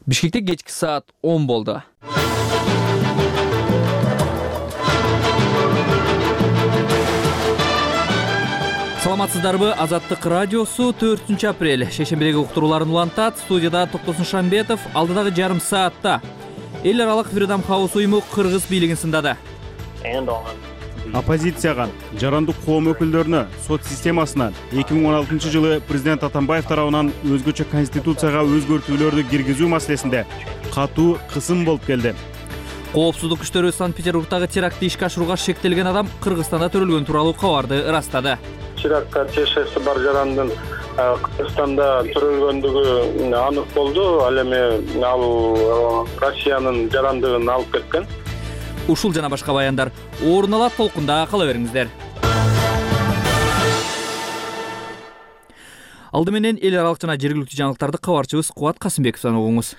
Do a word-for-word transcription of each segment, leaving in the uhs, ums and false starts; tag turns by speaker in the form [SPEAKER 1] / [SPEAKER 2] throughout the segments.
[SPEAKER 1] Бишкекте кечки саат он болду. Саламатсыздарбы? Азаттык радиосу төртүнчү апрель шейшембидеги уктурууларын улантат. Студияда Токтосун Шамбетов. Алдыдагы жарым саатта эл аралык Freedom House уюму кыргыз бийлигин сындады.
[SPEAKER 2] Оппозицияга, жарандык коом өкүлдөрүнө сот системасына эки миң он алтынчы жылы президент Атамбаев тарабынан өзгөчө конституцияга өзгөртүүлөрдү киргизүү маселесинде катуу кысым болуп келди.
[SPEAKER 1] Коопсуздук күчтөрү Санкт-Петербургдагы терактти ишке ашырууга шектелген адам Кыргызстанда төрөлгөн тууралуу кабарды ырастады.
[SPEAKER 3] Чиракка чешеси бар жарандын Кыргызстанда төрөлгөндүгү анык болду. Ал эми ал Россиянын жарандыгын алып кеткен.
[SPEAKER 1] Ушул жана башка баяндар орун алат, толкунда кала бериңиздер. Алды менен эл аралык жана жергиликтүү жаңылыктарды кабарчыбыз Кубат Касымбековдон угуңуз.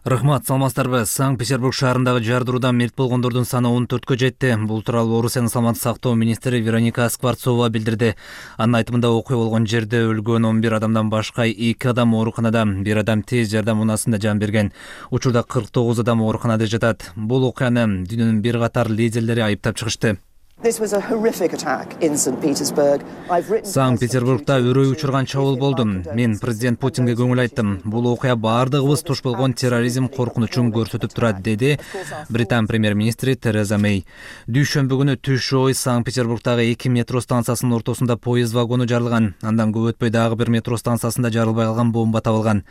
[SPEAKER 4] Рахмат, саламатсыздарбы? Санкт-Петербург шаарындагы жардыруудан мерт болгондордун саны он төрткө жетти. Бул тууралуу Орусиянын саламаттык сактоо министри Вероника Скворцова билдирди. Анын айтымында окуя болгон жерде өлгөн он бир адамдан башка эки адам ооруканада, бир адам тез жардам унаассында жан берген. Учурда кырк тогуз адам ооруканада жатат. Бул окуяны дүйнөнүн бир катар лидерлери айыптап чыгышты. Санкт-Петербургда өрөө учурган чабуул болду. Мен президент Путинге көңүл айттым. Бул окуя баардыгыбыз туш болгон терроризм коркунучун көрсөтүп турат, деди Британ премьер-министри Тереза Мэй. Дүйшөмбү күнү түш ой Санкт-Петербургдагы эки метро станциясынын ортосунда поезд вагону жарылган. Андан көп өтпөй дагы бир метро станциясында жарылбай калган бомба табылган.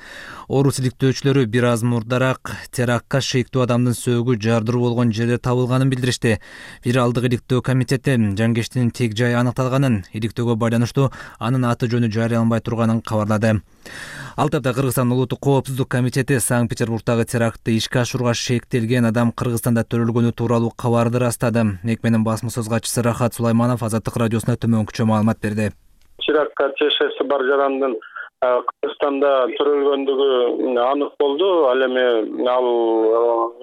[SPEAKER 4] Орус иликтөөчүлөрү бир аз мурдараак терактка шектүү адамдын сөөгү жардыруу болгон жерде табылганын билдиришти. Федералдык иликтөө комитети жангештин тег жайы аныкталганын, иликтөөгө байланыштуу анын аты жөнү жарыяланбай турганын кабарлады. Ал тапта Кыргызстан улуттук коопсуздук комитети Санкт-Петербургдагы терактты ишке ашырууга шектелген адам Кыргызстанда төрөлгөнү тууралуу кабарды ырастады. Мекменин басма сөз катчысы Рахат Сулайманов Азаттык радиосуна төмөнкүчө маалымат берди.
[SPEAKER 3] Чиракка чешеси бар жарандын Кыргызстанда төрөлгөндүгү анык болду. Ал эми ал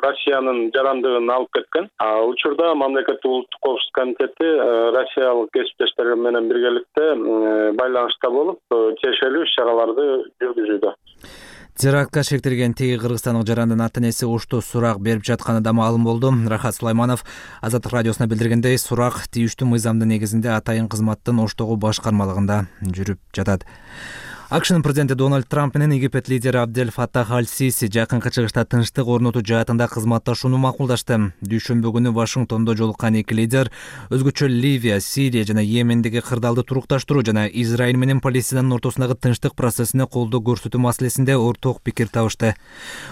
[SPEAKER 3] Россиянын жарандыгын алып кеткен. Учурда мамлекеттик улуттук коопсуздук комитети Россиялык кесиптештер менен биргеликте байланышта болуп, тиешелүү иш-чараларды жүргүзүүдө.
[SPEAKER 4] Терактка шектелген теги кыргызстандык жарандын ата-энеси ошто сурак берип жатканы да маалым болду. Рахат Сулайманов Азаттык радиосуна билдиргендей, сурак тийиштүү мыйзамдын негизинде атайын кызматтын Оштогу башкармалыгында жүрүп жатат. АКШнын президенти Дональд Трамп менен Египет лидери Абдель Фаттах аль-Сиси жакынкы чыгышта тынчтык орнотуу жаатында кызматташууну макулдашты. Дүйшөмбү күнү Вашингтондо жолуккан эки лидер өзгөчө Ливия, Сирия жана Йемендеги кырдаалды турукташтыруу жана Израиль менен Палестинанын ортосундагы тынчтык процессине колдоо көрсөтүү маселесинде орток пикир табышты.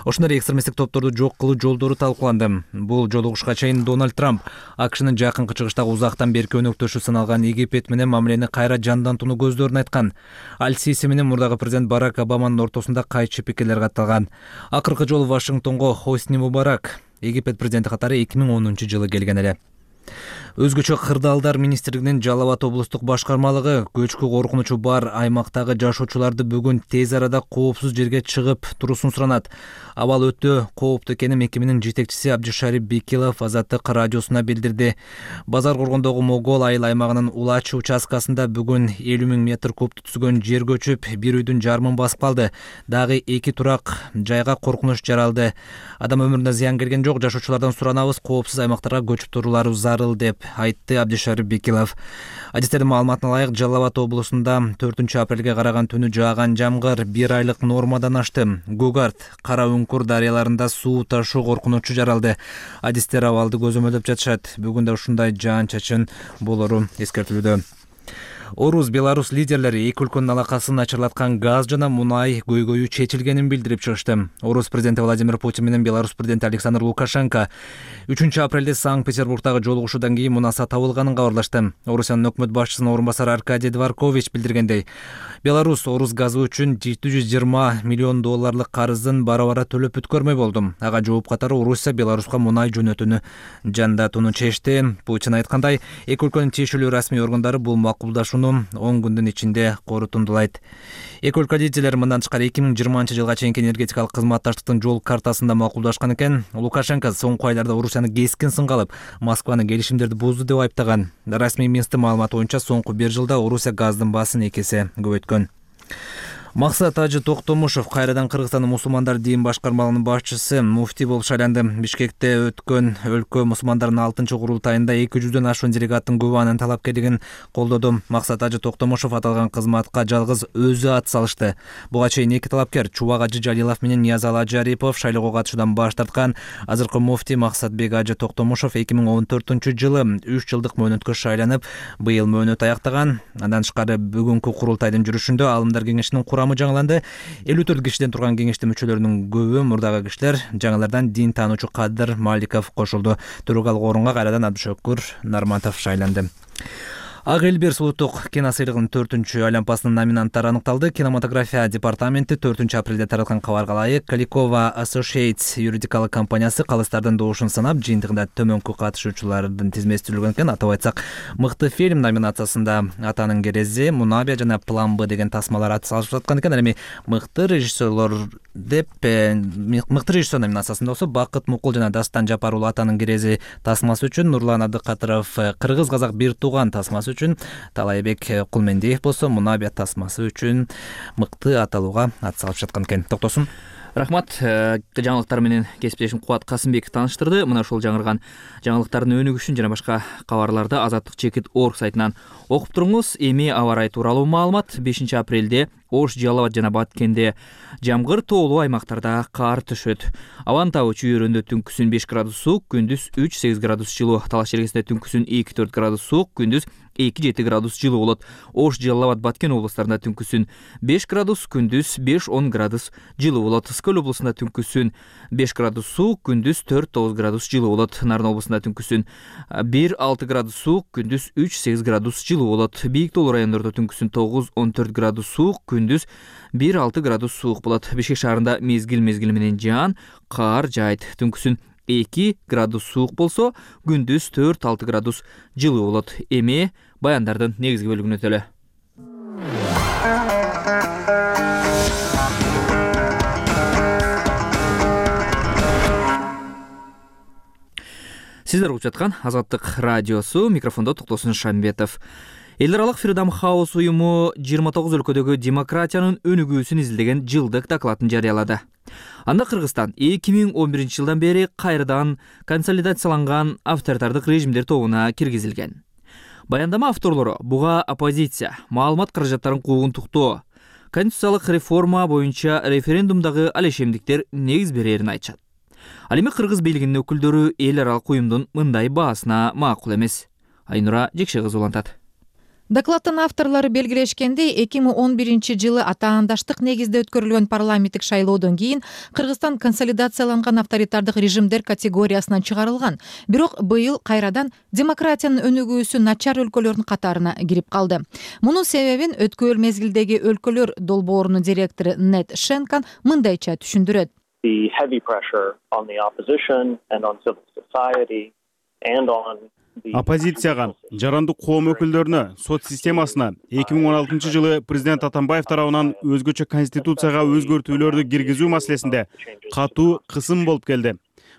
[SPEAKER 4] Ошондой экстремисттик топторду жок кылуу жолдору талкууланды. Бул жолугушка чейин Дональд Трамп АКШнын жакынкы чыгыштагы узактан берки өнөктөшү саналган Египет менен мамилени кайра жандантууну көздөрүн айткан. Аль-Сиси менен мурдагы президент Барак Обаманын ортосунда кайчы пикирлер катталган. Акыркы жолу Вашингтонго Хосни Мубарак Египет президенти катары эки миң онунчу жылы келген эле. Өзгөчө кырдаалдар министрлигинин Жалал Абад облустук башкармалыгы көчкү коркунучу бар аймактагы жашоочуларды бүгүн тез арада коопсуз жерге чыгып турусун суранат. Абал өтө кооптуу экенин мекеменин жетекчиси Абдишарип Бекилов Азаттык радиосуна билдирди. Базар коргондогу Могол айыл аймагынын Улачы участкасында бүгүн элүү миң метр кубту түзгөн жер көчүп, бир үйдүн жарымын басып калды. Дагы эки турак жайга коркунуч жаралды. Адам өмүрүнө зыян келген жок. Жашоочулардан суранабыз, коопсуз аймактарга көчүп туруулары зарыл деп айтты Абдишарип Бекилов. Адистердин маалыматына ылайык, Жалал Абад облусунда төртүнчү апрелге караган түнү жааган жамгыр бир айлык нормадан ашты. Гугарт, Кара Үңкүр дарыяларында суу ташуу коркунучу жаралды. Адистер абалды көзөмөлдөп жатышат. Бүгүн да ушундай жаан-чачын болору эскертилүүдө. Орус, Беларус лидерлери эки өлкөнүн алакасын начарлаткан газ жана мунай көйгөйү чечилгенин билдирип чыгышты. Орус президенти Владимир Путин менен Беларус президенти Александр Лукашенко үчүнчү апрелде Санкт-Петербургдагы жолугушуудан кийин мунаса табылганын кабарлашты. Орусиянын өкмөт башчысынын орун басары Аркадий Дворкович билдиргендей, Беларус орус газы үчүн жети жүз жыйырма миллион долларлык карызын бара-бара төлөп бүткөрмөй болду. Ага жооп катары Орусия Беларуска мунай жөнөтүүнү жандатууну чечти. Путин айткандай, эки өлкөнүн тиешелүү расмий органдары бул макулдашууну он күндүн ичинде корутундулайт. Эки өлкө лидерлери мындан тышкары эки миң жыйырманчы жылга чейинки энергетикалык кызматташтыктын жол картасында макулдашкан экен. Лукашенко соңку айларда Орусияны кескин сынга алып, Москваны келишимдерди бузду деп айыптаган. Расмий Минсктин маалыматы боюнча соңку бир жылда Орусия газдын баасын эки эсе көбөйткөн. Максат Ажы Токтомушов кайрадан Кыргызстандын мусулмандар дин башкармалыгынын башчысы, муфтий болуп шайланды. Бишкекте өткөн өлкө мусулмандарынын алтынчы курултайында эки жүздөн ашуун делегаттын көп анын талапкерлигин колдоду. Максат Ажы Токтомушов аталган кызматка жалгыз өзү ат салышты. Буга чейин эки талапкер Чубак Ажы Жалилов менен Ниязалы Ажы Арипов шайлоого катышуудан баш тарткан. Азыркы муфтий Максатбек Ажы Токтомушов эки миң он төртүнчү жылы үч жылдык мөөнөткө шайланып, быйыл мөөнөт аяктаган. Андан тышкары бүгүнкү курултайдын жүрүшүндө Аалымдар кеңешинин курамы жаңыланды. элүү төрт кишиден турган кеңештин мүчөлөрүнүн көбү мурдагы кишилер. Жаңылардан дин таануучу Кадыр Маликов кошулду. Төрөгалык орунга кайрадан Абдышөкүр Нарматов шайланды. Ак Элберс улуттук кино сыйлыгынын төртүнчү айлампасынын номинанттары аныкталды. Кинематография департаменти төртүнчү апрелде тараткан кабарга ылайык Каликова Associates юридикалык компаниясы калыстардын добушун санап, жыйынтыгында төмөнкү катышуучулардын тизмеси түзүлгөн экен. Атап айтсак, мыкты фильм номинациясында Атанын керези, Мунабия жана План Б деген тасмалар ат салышып жаткан экен. Эми мыкты режиссерлор деп мыкты режиссер номинациясында болсо Бакыт Мукул жана Дастан Жапар уулу Атанын керези тасмасы үчүн, Нурлан Абдыкатыров Кыргыз казак бир тууган тасмасы үчүн, Талайбек Кулмендиев болсо Мунабия тасмасы үчүн мыкты аталууга ат салып жаткан экен. Токтосун.
[SPEAKER 1] Рахмат. Жаңылыктар менен кесиптешим Кубат Касымбеков тааныштырды. Мына ушул жаңырган жаңылыктардын өнүгүшүн жана башка кабарларды Азаттык чекит орг сайтынан окуп туруңуз. Эми аба ырайы тууралуу маалымат. бешинчи апрелде Ош, Жалал абад жана Баткенде жамгыр, тоолуу аймактарда кар түшөт. Абанын табы чүйөрүндө түнкүсүн беш градус суук, күндүз үч сегиз градус жылуу. Талаш Черкесинде түнкүсүн эки төрт градус суук, күндүз эки жети градус жылуу болот. Ош, Жалал абад, Баткен облустарында түнкүсүн беш градус, күндүз беш он градус жылуу болот. Скөл облусунда түнкүсүн беш градус суук, күндүз төрт тогуз градус жылуу болот. Нарын облусунда түнкүсүн бир алты градус суук, күндүз үч сегиз градус жылуу болот. Бийик тоолуу райондордо түнкүсүн тогуз он төрт градус суук, күндүз бир алты градус суук болот. Бишкек шаарында мезгил мезгили менен жаан, кар жаайт. Түнкүсүн эки градус суук болсо, күндүз төрт алты градус жылуу болот. Эми баяндардын негизги бөлүгүнө өтөлү. Сиздер угуп жаткан Азаттык радиосу, микрофондо Токтосун Шамбетов. Эл аралык Freedom House уюму жыйырма тогуз өлкөдөгү демократиянын өнүгүүсүн изилдеген жылдык докладын жарыялады. Анда Кыргызстан эки миң он биринчи жылдан бери кайрадан консолидацияланган авторитардык режимдер тобуна киргизилген. Баяндама авторлору буга оппозиция, маалымат каражаттарын куугунтуктоо, конституциялык реформа боюнча референдумдагы алешемдиктер негиз берерин айтышат. Ал эми кыргыз бийлигинин өкүлдөрү эл аралык уюмдун мындай баасына макул эмес. Айнура Жекше кызы улантат.
[SPEAKER 5] Докладдын авторлору белгилешкендей, эки миң он биринчи жылы атаандаштык негизде өткөрүлгөн парламенттик шайлоодон кийин Кыргызстан консолидацияланган авторитардык режимдер категориясынан чыгарылган. Бирок быйыл кайрадан демократиянын өнүгүүсү начар өлкөлөрдүн катарына кирип калды. Мунун себебин өткөн мезгилдеги өлкөлөр долбоорунун директору Нед Шенкан мындайча түшүндүрөт.
[SPEAKER 6] The heavy pressure on the opposition and on civil society and on
[SPEAKER 2] Оппозицияга, жарандык коом өкүлдөрүнө, сот системасына эки миң он алтынчы жылы президент Атамбаев тарабынан өзгөчө конституцияга өзгөртүүлөрдү киргизүү маселесинде катуу кысым болуп келди.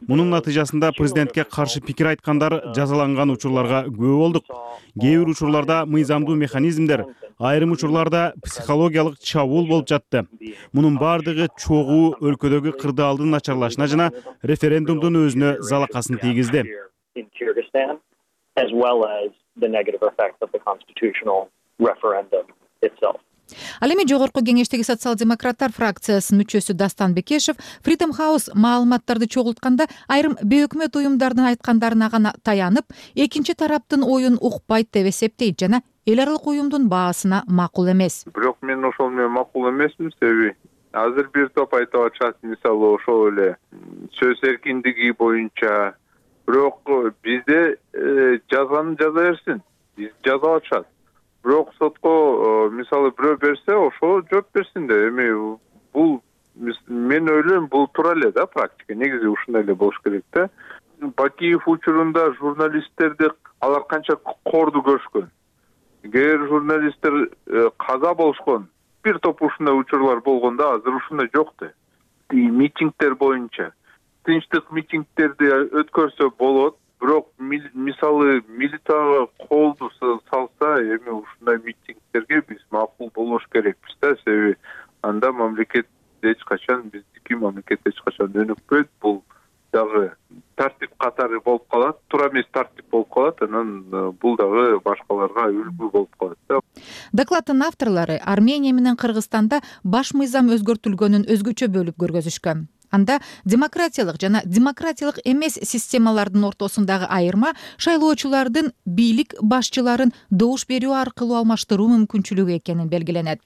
[SPEAKER 2] Мунун натыйжасында президентке каршы пикир айткандар жазаланган учурларга күбө болдук. Кээ бир учурларда мыйзамдуу механизмдер, айрым учурларда психологиялык чабуул болуп жатты. Мунун бардыгы чогуу өлкөдөгү кырдаалдын начарлашына жана референдумдун өзүнө залакасын тийгизди.
[SPEAKER 6] As well as the negative effect of the constitutional referendum itself.
[SPEAKER 5] Ал эми жогорку кеңештеги социал-демократтар фракциясынын мүчөсү Дастан Бекешев Freedom House маалыматтарды чогултканда айрым бейөкмөт уюмдардын айткандарына гана таянып, экинчи тараптын оюн укпайт деп эсептейт жана эл аралык уюмдун баасына макул эмес.
[SPEAKER 7] Бирок мен ошол менен макул эмесмин, себеби азыр бир топ айтып атышат, мисалы ошол эле сөз эркиндиги боюнча. Бирок бизде жазганын жаза берсин, биз жазап атышат. Бирок сотко мисалы бирөө берсе, ошо жооп берсин деп. Эми бул мен ойлойм, бул туура эле да практика. Негизи ушундай эле болуш керек да. Бакиев учурунда журналисттерди алар канча корду көрүшкөн. Кээ бир журналисттер каза болушкон. Бир топ ушундай учурлар болгондо азыр ушундай жок да. Митингдер боюнча тынчтык митингдерди өткөрсө болот, бирок мисалы милицияга колду салса, эми ушундай митингдерге биз макул болуш керекпиз да, себеби анда мамлекет эч качан, биздики мамлекет эч качан өнүкпөйт. Бул дагы тартип катары болуп калат, туура эмес тартип болуп калат, анан бул дагы башкаларга үлгү болуп калат да.
[SPEAKER 5] Докладдын авторлору Армения менен Кыргызстанда баш мыйзам өзгөртүлгөнүн өзгөчө бөлүп көргөзүшкөн. Анда демократиялык жана демократиялык эмес системалардын ортосундагы айырма шайлоочулардын бийлик башчыларын добуш берүү аркылуу алмаштыруу мүмкүнчүлүгү экенин белгиленет.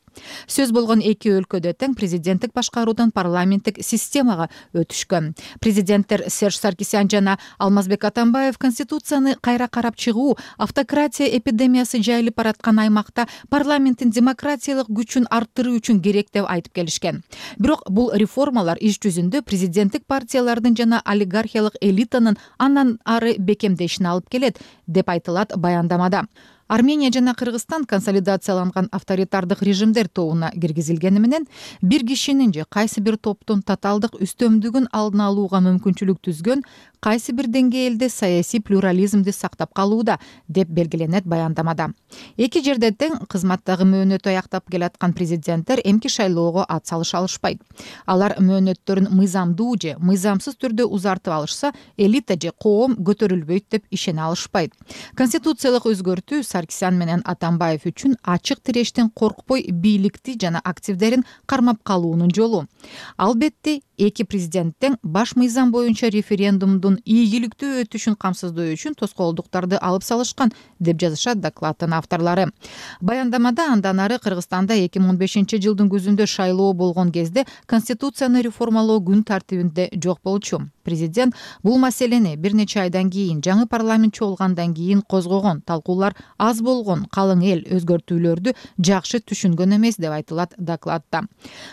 [SPEAKER 5] Сөз болгон эки өлкөдө тең президенттик башкаруудан парламенттик системага өтүшкөн. Президенттер Серж Саркисян жана Алмазбек Атамбаев Конституцияны кайра карап чыгуу, автократия эпидемиясы жайылып бараткан аймакта парламенттин демократиялык күчүн арттыруу үчүн керек деп айтып келишкен. Бирок бул реформалар иш жүзүндө президенттик партиялардын жана олигархиялык элитанын андан ары бекемдешине алып келет деп айтылат баяндамада. Армения жана Кыргызстан консолидацияланган авторитардык режимдер тобуна киргизилгени менен бир кишинин же кайсы бир топтун тоталдык үстөмдүгүн алдын алууга мүмкүнчүлүк түзгөн кайсы бир деңгээлде саясий плюрализмди сактап калууда деп белгиленет баяндамада. Эки жерде тең кызматтагы мөөнөтү аяктап келаткан президенттер эмки шайлоого ат салыша алышпайт. Алар мөөнөттөрүн мыйзамдуу же мыйзамсыз түрдө узартып алышса, элита же коом көтөрүлбөйт деп ишене алышпайт. Конституциялык өзгөртүү Саркисян менен Атамбаев үчүн ачык тирештен коркпой бийликти жана активдерин кармап калуунун жолу. Албетте, эки президенттен баш мыйзам боюнча референдумдун ийгиликтүү өтүшүн камсыздоо үчүн тоскоолдуктарды алып салышкан деп жазышат докладдын авторлору. Баяндамада андан ары Кыргызстанда эки миң он бешинчи жылдын күзүндө шайлоо болгон кезде Конституцияны реформалоо күн тартибинде жок болчу. Президент бул маселени бир нече айдан кийин жаңы парламент чогулгандан кийин козгогон, талкуулар аз болгон, калың эл өзгөртүүлөрдү жакшы түшүнгөн эмес деп айтылат докладда.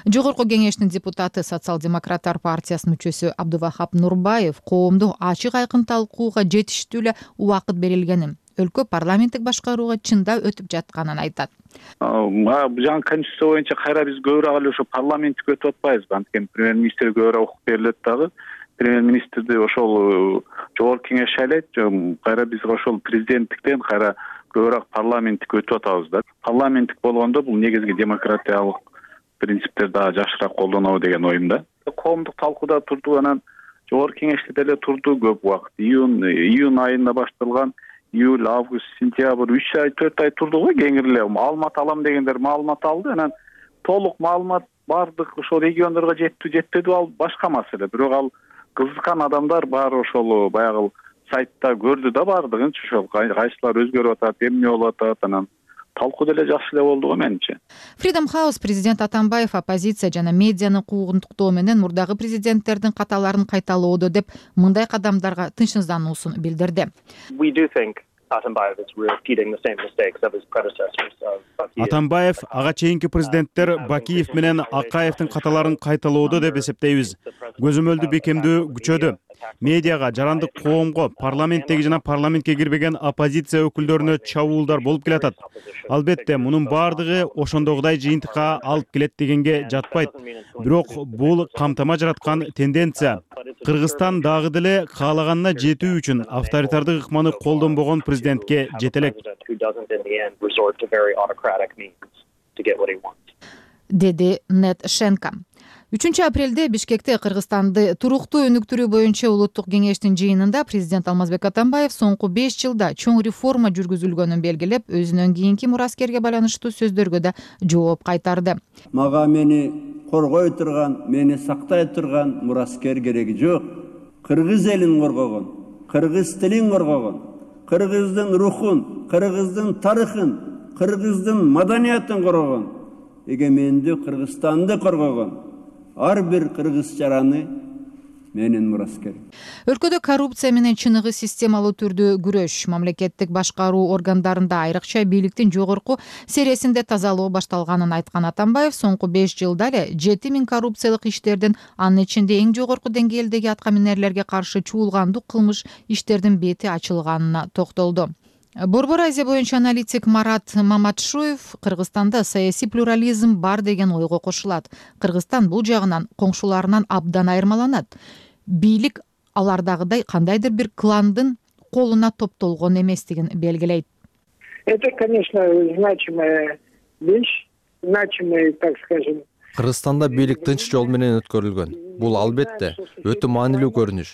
[SPEAKER 5] Жогорку кеңештин депутаты Социал-демократтар партиясынын мүчөсү Абдувахап Нурбаев коомду ачык айкын талкууга жетиштүү эле убакыт берилгенин, өлкө парламенттик башкарууга чындап өтүп жатканын айтат.
[SPEAKER 8] Жаңы конституция боюнча кайра биз көбүрөөк эле ошо парламенттик өтүп атпайбызбы? Анткени премьер-министр көбүрөөк укук берилет дагы. Премьер-министрди ошол жогорку кеңеш шайлайт, кайра биз ошол президенттиктен кайра көбүрөөк парламенттик өтүп атабыз да. Парламенттик болгондо бул негизги демократиялык принциптер дагы жакшыраак колдонобу деген оюмда. Коомдук талкууда турду, анан жогорку кеңеште деле турду көп убакыт. Июнь июнь айында башталган, июль, август, сентябрь үч ай, төрт ай турду го кеңири эле. Маалымат алам дегендер маалымат алды, анан толук маалымат бардык ошол региондорго жетти, жетпеди, ал башка маселе. Бирок ал кызыккан адамдар баары ошол баягы сайтта көрдү да бардыгынчы, ошол кайсылар өзгөрүп атат, эмне болуп атат, анан талкуу деле жакшы эле болду го менимче.
[SPEAKER 5] Freedom House президент Атамбаев оппозиция жана медианы куугунтуктоо менен мурдагы президенттердин каталарын кайталоодо деп мындай кадамдарга тынчсыздануусун билдирди.
[SPEAKER 2] Атамбаев ага чейинки президенттер Бакиев менен Акаевдин каталарын кайталоодо деп эсептейбиз. Көзөмөлдү бекемдөө күчөдү. Медиага, жарандык коомго, парламенттеги жана парламентке кирбеген оппозиция өкүлдөрүнө чабуулдар болуп келатат. Албетте, мунун баардыгы ошондогудай жыйынтыкка алып келет дегенге жатпайт. Бирок бул камтама жараткан тенденция. Кыргызстан дагы деле каалаганына жетүү үчүн авторитардык ыкманы колдонбогон президентке жете элек,
[SPEAKER 5] деди Нет Шенка. үчүнчү апрелде Бишкекте Кыргызстанды туруктуу өнүктүрүү боюнча улуттук кеңештин жыйынында президент Алмазбек Атамбаев соңку беш жылда чоң реформа жүргүзүлгөнүн белгилеп, өзүнөн кийинки мураскерге байланыштуу сөздөргө да жооп кайтарды.
[SPEAKER 9] Мага мени коргой турган, мени сактай турган мураскер кереги жок. Кыргыз элин коргогон, кыргыз тилин коргогон, кыргыздын рухун, кыргыздын тарыхын, кыргыздын маданиятын коргогон, эгемендүү Кыргызстанды коргогон ар бир кыргыз жараны менин мураскерим.
[SPEAKER 5] Өлкөдө коррупция менен чыныгы системалуу түрдө күрөш, мамлекеттик башкаруу органдарында айрыкча бийликтин жогорку сересинде тазалоо башталганын айткан Атамбаев соңку беш жылда эле жети миң коррупциялык иштердин, анын ичинде эң жогорку деңгээлдеги атка минерлерге каршы чуулгандуу кылмыш иштердин бети ачылганына токтолду. Борбор Азия боюнча аналитик Марат Маматшуев Кыргызстанда саясий плюрализм бар деген ойго кошулат. Кыргызстан бул жагынан коңшуларынан абдан айырмаланат. Бийлик алардагыдай кандайдыр бир кландын колуна топтолгон эместигин белгилейт.
[SPEAKER 10] Это, конечно, значимая вещь, значимый, так скажем, Кыргызстанда бийлик тынч жол менен өткөрүлгөн. Бул албетте өтө маанилүү көрүнүш.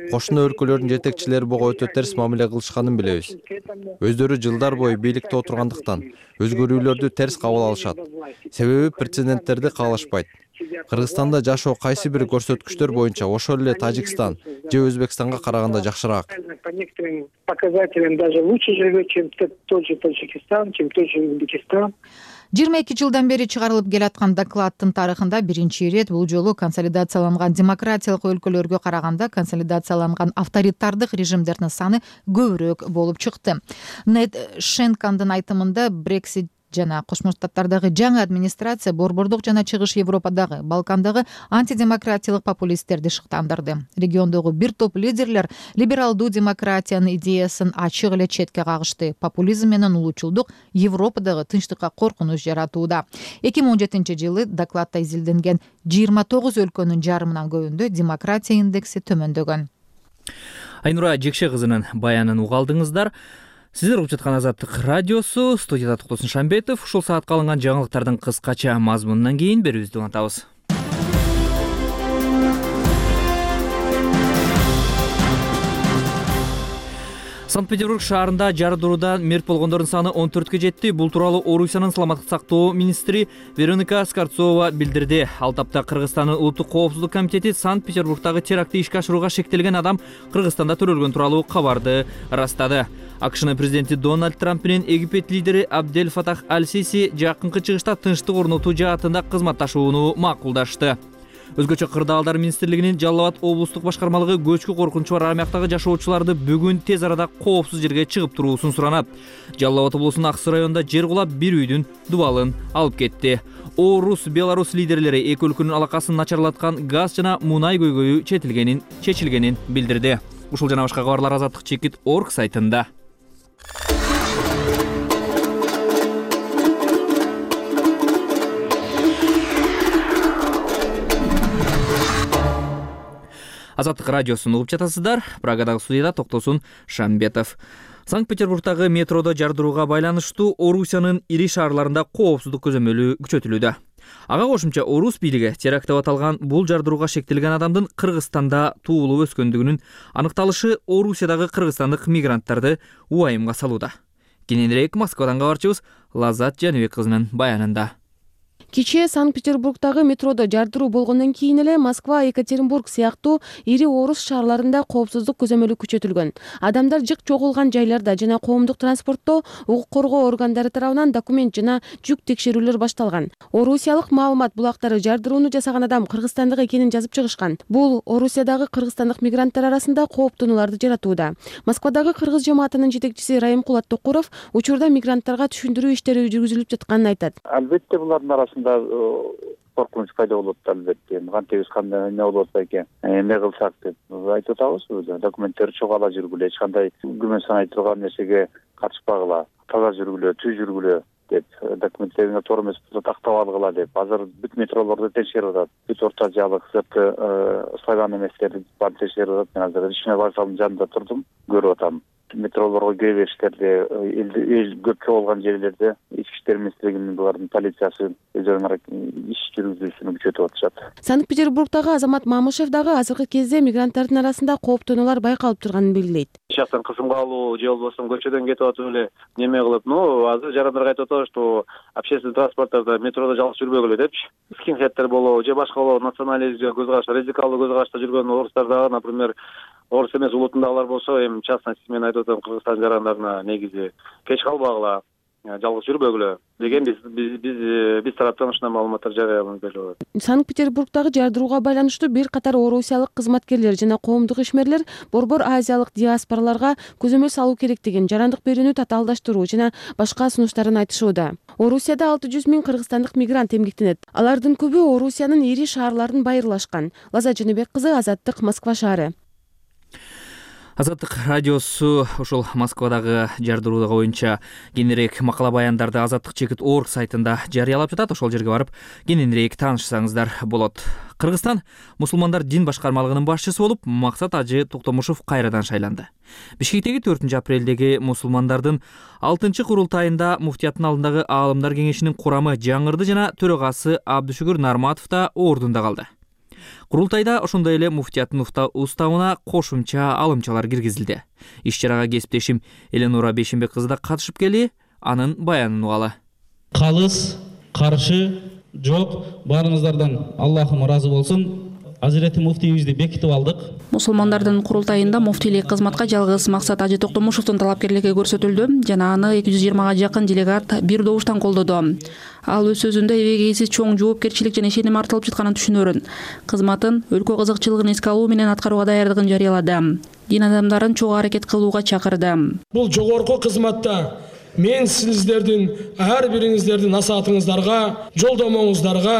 [SPEAKER 10] Кошуна өлкөлөрдүн жетекчилери буга өтө терс мамиле кылышканын билебиз. Өздөрү жылдар бою бийликте отургандыктан өзгөрүүлөрдү терс кабыл алышат. Себеби прецеденттерди каалашпайт. Кыргызстанда жашоо кайсы бир көрсөткүчтөр боюнча ошол эле Тажикстан же Өзбекстанга караганда жакшыраак.
[SPEAKER 11] По некоторым показателям даже лучше живет, чем тот же Таджикистан, чем тот же Узбекистан.
[SPEAKER 5] жыйырма эки жылдан бери чыгарылып келаткан докладдын тарыхында биринчи ирет бул жолу консолидацияланган демократиялык өлкөлөргө караганда консолидацияланган авторитардык режимдердин саны көбүрөөк болуп чыкты. Нед Шенкандын айтымында Брексит жана Кошмо Штаттардагы жаңы администрация борбордук жана Чыгыш Европадагы, Балкандагы антидемократиялык популисттерди шыктандырды. Региондогу бир топ лидерлер либералдуу демократиянын идеясын ачык эле четке кагышты. Популизм менен улуучулдук Европадагы тынчтыкка коркунуч жаратууда. эки миң он жетинчи жылы докладда изилденген жыйырма тогуз өлкөнүн жарымынан көбүндө демократия индекси төмөндөгөн.
[SPEAKER 1] Айнура Жекше кызынын баянын угалдыңыздар. Сиздер угуп жаткан Азаттык радиосу, студияда Токтосун Шамбетов. Ушул саатка алынган жаңылыктардын кыскача мазмунунан кийин берүүбүздү улантабыз. Санкт-Петербург шаарында жардыруудан мерт болгондордун саны он төрткө жетти. Бул тууралуу Орусиянын саламаттык сактоо министри Вероника Скорцова билдирди. Ал тапта Кыргызстандын улуттук коопсуздук комитети Санкт-Петербургдагы терактти ишке ашырууга шектелген адам Кыргызстанда төрөлгөн тууралуу кабарды ырастады. АКШнын президенти Дональд Трамп менен Египет лидери Абдель Фатах Аль-Сиси жакынкы чыгышта тынчтык орнотуу жаатында кызматташууну макулдашты. Өзгөчө кырдаалдар министрлигинин Жалал Абад облустук башкармалыгы көчкү коркунучу бар аймактагы жашоочуларды бүгүн тез арада коопсуз жерге чыгып туруусун суранат. Жалал Абад облусунун Аксы районунда жер кулап бир үйдүн дубалын алып кетти. Орус, Беларус лидерлери эки өлкөнүн алакасын начарлаткан газ жана мунай көйгөйү чечилгенин чечилгенин билдирди. Ушул жана башка кабарлар Азаттык чекит точка орг сайтында. Азаттык радиосун угуп жатасыздар. Прагадагы студияда Токтосун Шамбетов. Санкт-Петербургдагы метродо жардырууга байланыштуу Орусиянын ири шаарларында коопсуздук көзөмөлү күчөтүлүүдө. Ага кошумча Орус бийлиги теракт деп аталган бул жардырууга шектелген адамдын Кыргызстанда туулуп өскөндүгүнүн аныкталышы Орусиядагы кыргызстандык мигранттарды уайымга салууда. Кененирээк Москвадан кабарчыбыз Лазат Жаныбек кызынын баянында.
[SPEAKER 12] Кечээ Санкт-Петербургдагы метродо жардыруу болгондон кийин эле Москва, Екатеринбург сыяктуу ири орус шаарларында коопсуздук көзөмөлү күчөтүлгөн. Адамдар жык чогулган жайларда жана коомдук транспортто укук коргоо органдары тарабынан документ жана жүк текшерүүлөр башталган. Орусиялык маалымат булактары жардырууну жасаган адам кыргызстандык экенин жазып чыгышкан. Бул Орусиядагы кыргызстандык мигранттар арасында кооптонууларды жаратууда. Москвадагы кыргыз жамаатынын жетекчиси Райымкул Аттокуров учурда мигранттарга түшүндүрүү иштери жүргүзүлүп жатканын айтат.
[SPEAKER 8] Албетте булардын арасында коркунуч пайда болот, албетте. Кантебиз кандай эмне болот экен, эмне кылсак деп айтып атабыз. Документтер чогала жүргүлө, эч кандай күмөн санай турган нерсеге катышпагыла, таза жүргүлө, түз жүргүлө деп, документтериңер туура эмес болсо тактап алгыла деп. Азыр бүт метролорду текшерип атат. Бүт орто азиялык сырткы слоган эместерди баарын текшерип атат. Мен азыр Речной вокзалдын жанында турдум, көрүп атам. Метролорго кире бериштерде, эл көпкө болгон жерлерде ички иштер министрлигинин булардын полициясы өздөрүнүн иш жүргүзүүсүн күчөтүп атышат.
[SPEAKER 12] Санкт-Петербургдагы Азамат Мамышев дагы азыркы кезде мигранттардын арасында кооптонуулар байкалып турганын белгилейт.
[SPEAKER 13] Эч жактан кысымга алуу же болбосо көчөдөн кетип атып эле неме кылып, ну азыр жарандар айтып атат, что общественный транспорттарда, метродо жалгыз жүрбөгүлө депчи. Скинхедтер болобу же башка болобу, национализмге көз караш, радикалдуу көз карашта жүргөн орустар дагы, например, орус эмес улутундагылар болсо, эми частности мен айтып атам, Кыргызстан жарандарына негизи кеч калбагыла, жалгыз жүрбөгүлө деген биз биз биз тараптан ушундай маалыматтар жарыяланып келип атат.
[SPEAKER 12] Санкт-Петербургдагы жардырууга байланыштуу бир катар орусиялык кызматкерлер жана коомдук ишмерлер борбор азиялык диаспораларга көзөмөл салуу керектигин, жарандык берүүнү татаалдаштыруу жана башка сунуштарын айтышууда. Орусияда алты жүз миң кыргызстандык мигрант эмгектенет. Алардын көбү Орусиянын ири шаарларын байырлашкан. Лаза Жаныбек кызы, Азаттык, Москва шаары.
[SPEAKER 1] Азаттык радиосу ушул Москвадагы жардыруу боюнча кененирээк макала баяндарды Азаттык чекит орг сайтында жарыялап жатат. Ошол жерге барып кененирээк таанышсаңыздар болот. Кыргызстан мусулмандар дин башкармалыгынын башчысы болуп Максат Ажы Токтомушев кайрадан шайланды. Бишкектеги төртүнчү апрелдеги мусулмандардын алтынчы курултайында муфтияттын алдындагы аалымдар кеңешинин курамы жаңырды жана төрагасы Абдышүгүр Нарматов да ордунда калды. Курултайда ошондой эле муфтияттын уставына кошумча алымчалар киргизилди. Иш-чарага кесиптешим Эленора Бейшенбек кызы да катышып келип, анын баянын угалы.
[SPEAKER 14] Калыс, каршы жок, баарыңыздардан Аллахым ыраазы болсун. Азирети муфтийибизди бекитип алдык.
[SPEAKER 15] Мусулмандардын курултайында муфтийлик кызматка жалгыз Максат Ажы Токтомушевдун талапкерлиги көрсөтүлдү жана аны эки жүз жыйырмага жакын делегат бир добуштан колдоду. Ал өз сөзүндө эбегейсиз чоң жоопкерчилик жана ишеним артылып жатканын түшүнөрүн, кызматын өлкө кызыкчылыгын эске алуу менен аткарууга даярдыгын жарыялады. Дин адамдарын чогуу аракет кылууга чакырды.
[SPEAKER 16] Бул жогорку кызматта мен сиздердин ар бириңиздердин насаатыңыздарга, жолдомоңуздарга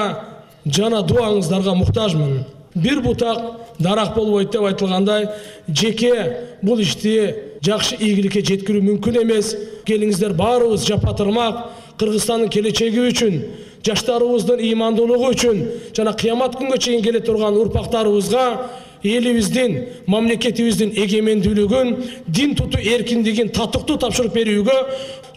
[SPEAKER 16] жана дуаңыздарга муктажмын. Бир бутак дарак болбойт деп айтылгандай, жеке бул ишти жакшы ийгиликке жеткирүү мүмкүн эмес. Келиңиздер баарыбыз жапатырмак Кыргызстандын келечеги үчүн, жаштарыбыздын ыймандуулугу үчүн жана кыямат күнгө чейин келе турган урпактарыбызга элибиздин, мамлекетибиздин эгемендүүлүгүн, дин тутуу эркиндигин татыктуу тапшырып берүүгө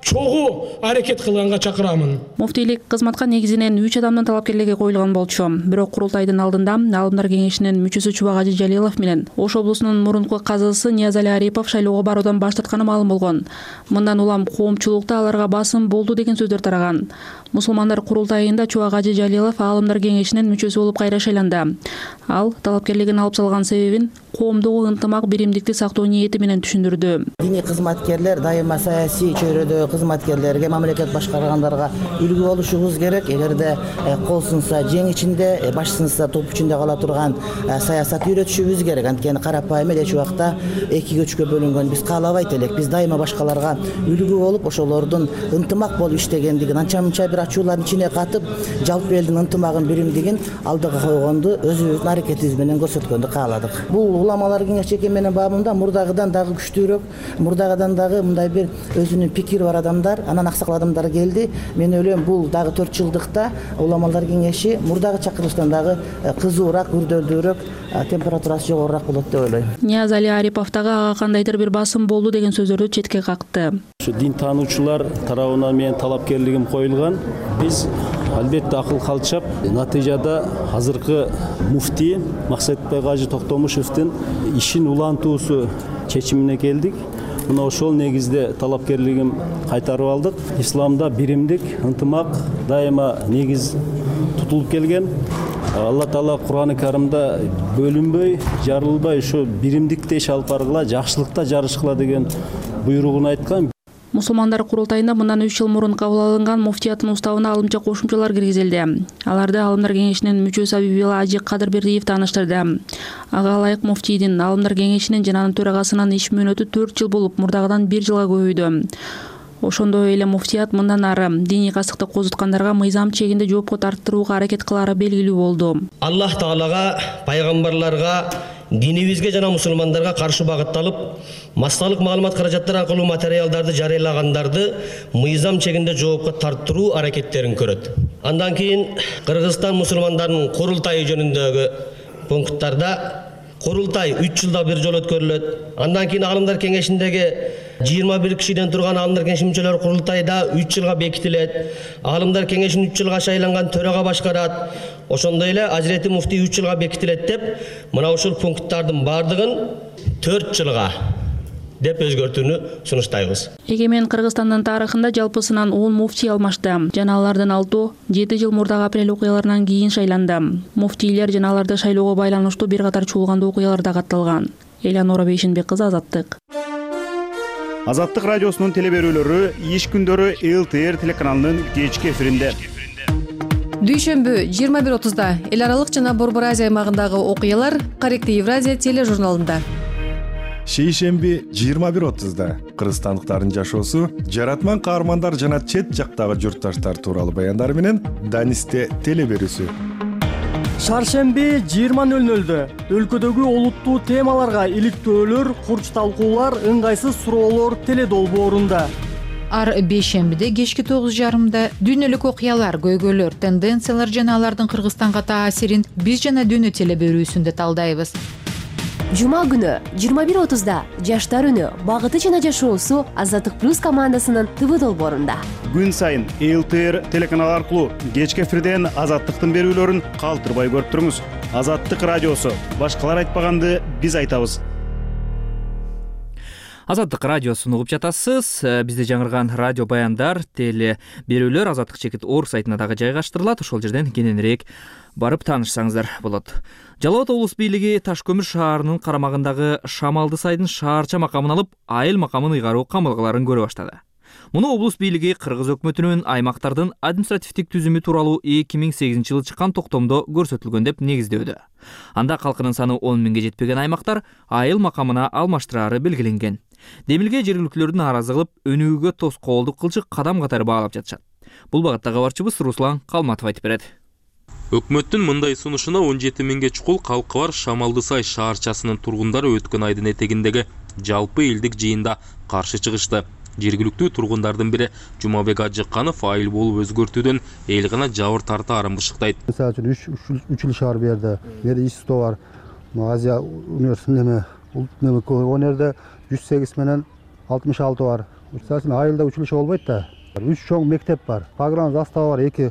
[SPEAKER 16] чогуу аракет кылганга чакырамын.
[SPEAKER 15] Муфтийлик кызматка негизинен үч адамдын талапкерлиги коюлган болчу. Бирок курултайдын алдында Аалымдар кеңешинин мүчөсү Чубак Ажы Жалилов менен Ош облусунун мурунку казысы Ниязали Арипов шайлоого баруудан баш тартканы маалым болгон. Мындан улам коомчулукта аларга басым болду деген сөздөр тараган. Мусулмандар курултайында Чубак Ажы Жалилов Аалымдар кеңешинин мүчөсү болуп кайра шайланды. Ал талапкерлигин алып салган себебин коомдогу ынтымак биримдикти сактоо ниети менен түшүндүрдү.
[SPEAKER 17] Диний кызматкерлер дайыма саясий чөйрөдө кызматкерлерге, мамлекет башкаргандарга үлгү болушубуз керек. Эгерде кол сынса жең ичинде, баш сынса топ ичинде кала турган саясат үйрөтүшүбүз керек. Анткени карапайым эле эч убакта экиге үчкө бөлүнгөн биз каалабайт элек. Биз дайыма башкаларга үлгү болуп, ошолордун ынтымак болуп иштегендигин, анча-мынча бир ачуулардын ичине катып, жалпы элдин ынтымагын, биримдигин алдыга койгонду өзүбүздүн аракетибиз менен көрсөткөндү кааладык. Бул уламалар кеңеши менин бабында мурдагыдан дагы күчтүүрөөк, мурдагыдан дагы мындай бир өзүнүн пикири бар адамдар, анан аксакал адамдар келди. Мен ойлойм, бул дагы төрт жылдыкта уламалар кеңеши мурдагы чакырылыштан дагы кызуураак, күрдөлдүүрөөк, температурасы жогорураак болот деп ойлойм.
[SPEAKER 15] Ниязали Арипов дагы ага кандайдыр бир басым болду деген сөздөрдү четке какты.
[SPEAKER 18] Ушу дин таануучулар тарабынан менин талапкерлигим коюлган. Биз албетте акыл калчап, натыйжада азыркы муфтий Максатбек Ажы Токтомушевдин ишин улантуусу чечимине келдик. Мына ошол негизде талапкерлигим кайтарып алдык. Исламда биримдик, ынтымак дайыма негиз тутулуп келген. Алла Таала Кур'ан-ы Каримде бөлүнбөй, жарылбай ушу биримдикте иш алып баргыла, жакшылыкта жарышкыла деген буйругун айткан.
[SPEAKER 15] Мусулмандар курултайында мындан үч жыл мурун кабыл алынган муфтияттын уставына алымча кошумчалар киргизилди. Аларды Аалымдар кеңешинин мүчөсү Абибила Ажы Кадырбердиев тааныштырды. Ага ылайык муфтийдин Аалымдар кеңешинин жана анын төрагасынын иш мөөнөтү төрт жыл болуп, мурдагыдан бир жылга көбөйдү. Ошондой эле муфтият мындан ары диний касыкты козуткандарга мыйзам чегинде жоопко тартырууга аракет кылары белгилүү болду.
[SPEAKER 19] Аллах Таалага, пайгамбарларга, динибизге жана мусулмандарга каршы багытталып, массалык маалымат каражаттары аркылуу материалдарды жарыялагандарды мыйзам чегинде жоопко тартыруу аракеттерин көрөт. Андан кийин Кыргызстан мусулмандарынын курултайы жөнүндөгү пункттарда курултай үч жылда бир жолу өткөрүлөт. Андан кийин Аалымдар кеңешиндеги жыйырма бир кишиден турган Аалымдар кеңеши мүчөлөрү курултайда үч жылга бекитилет. Аалымдар кеңешин үч жылга шайланган төрага башкарат. Ошондой эле Азирети муфтий үч жылга бекитилет деп, мына ушул пункттардын бардыгын төрт жылга деп өзгөртүүнү сунуштайбыз.
[SPEAKER 15] Эгемен Кыргызстандын тарыхында жалпысынан он муфтий алмашты. Жана алардын алтоо жети жыл мурдагы апрель окуяларынан кийин шайланды. Муфтийлер жана аларды шайлоого байланыштуу бир катар чуулгандуу окуялар да катталган. Эленора Бейшенбек кызы, Азаттык.
[SPEAKER 2] Азаттык радиосунун телеберүүлөрү иш күндөрү эл тэ эр телеканалынын кечки эфиринде.
[SPEAKER 20] Дүйшөмбү жыйырма бир отузда эл аралык жана Борбор Азия аймагындагы окуялар Каректи Евразия тележурналында.
[SPEAKER 21] Шейшемби жыйырма бир отузда кыргызстандыктардын жашоосу, жаратман каармандар жана чет жактагы журтташтар тууралуу баяндар менен Данисте телеберүүсү.
[SPEAKER 3] Шаршемби жыйырма нөл нөлдө өлкөдөгү олуттуу темаларга иликтөөлөр, курч талкуулар, ыңгайсыз суроолор теле долбоорунда.
[SPEAKER 5] Ар бейшембиде кечки тогуз жарымда дүйнөлүк окуялар, көйгөйлөр, тенденциялар жана алардын Кыргызстанга таасирин биз жана дүйнө теле берүүсүндө талдайбыз.
[SPEAKER 22] Жума күнү жыйырма бир отузда Жаштар үнү багыты жана жашоосу Азаттык плюс командасынын ТВ долбоорунда.
[SPEAKER 2] Күн сайын Эл Тэ Эр телеканал аркылуу кечки эфирден Азаттыктын берүүлөрүн калтырбай көрүп туруңуз. Азаттык радиосу. Башкалар айтпаганды биз айтабыз.
[SPEAKER 1] Азаттык радиосун угуп жатасыз. Бизде жаңырган радио баяндар, теле берүүлөр Азаттык чекит орг сайтына дагы жайгаштырылат. Ошол жерден кененирээк барып таанышсаңыздар болот. Жалал Абад облус бийлиги Таш көмүр шаарынын карамагындагы Шамалды сайдын шаарча макамын алып, айыл макамын ыйгаруу камылгаларын көрө баштады. Муну облус бийлиги Кыргыз өкмөтүнүн аймактардын административдик түзүмү тууралуу эки миң сегизинчи жылы чыккан токтомдо көрсөтүлгөн деп негиздөөдө. Анда калкынын саны он миңге жетпеген аймактар айыл макамына алмаштырары белгиленген. Демилге жергиликтүүлөрдүн нааразы кылып, өнүгүүгө тоскоолдук кылчы кадам катары баалап жатышат. Бул багытта кабарчыбыз Руслан Калматов айтып берет.
[SPEAKER 23] Өкмөттүн мындай сунушуна он жети миңге чукул калкы бар Шамалды сай шаарчасынын тургундары өткөн айдын этегиндеги жалпы элдик жыйында каршы чыгышты. Жергиликтүү тургундардын бири Жумабек Ажыкканов айыл болуп өзгөртүүдөн эл гана жабыр тартаарын бышыктайт.
[SPEAKER 24] Мисалы үчүн үч ил шаар берди. Бери ИСТО бар. Азия университетинде он жерде жүз сегиз менен алтымыш алты бар. Мисалы айылда училище болбойт да. үч чоң мектеп бар. Погран застава бар, эки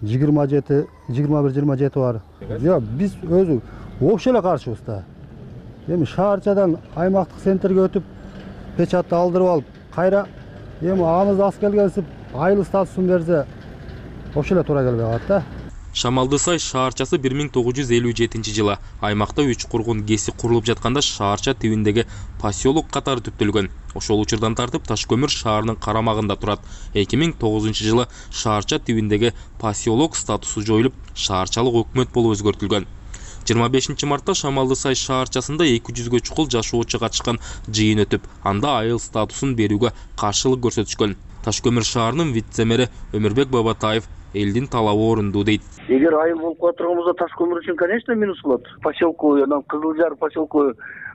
[SPEAKER 24] жыйырма жети, жыйырма бир, жыйырма жети бар. Жок, биз өзү вообще эле каршыбыз да. Эми шаарчадан аймактык центрге өтүп, печатты алдырып алып, кайра эми аныбыз аз келгенсип айыл статусун берсе, вообще эле туура келбей калат да.
[SPEAKER 23] Шамалды сай шаарчасы бир миң тогуз жүз элүү жетинчи жылы аймакта үч кургун кеси курулуп жатканда шаарча тибиндеги поселок катары түптөлгөн. Ошол учурдан тартып Таш көмүр шаарынын карамагында турат. эки миң тогузунчу жылы шаарча тибиндеги поселок статусу жоюлуп, шаарчалык өкмөт болуп өзгөртүлгөн. жыйырма бешинчи мартта Шамалды сай шаарчасында эки жүзгө чукул жашоочу катышкан жыйын өтүп, анда айыл статусун берүүгө каршылык көрсөтүшкөн. Таш көмүр шаарынын вице-мэри Өмүрбек Бабатаев элдин талабы орунду дейт.
[SPEAKER 25] Эгер айыл болуп кала турганбызда Таш көмүр үчүн, конечно, минус болот. Поселку, анан Кызылжар поселку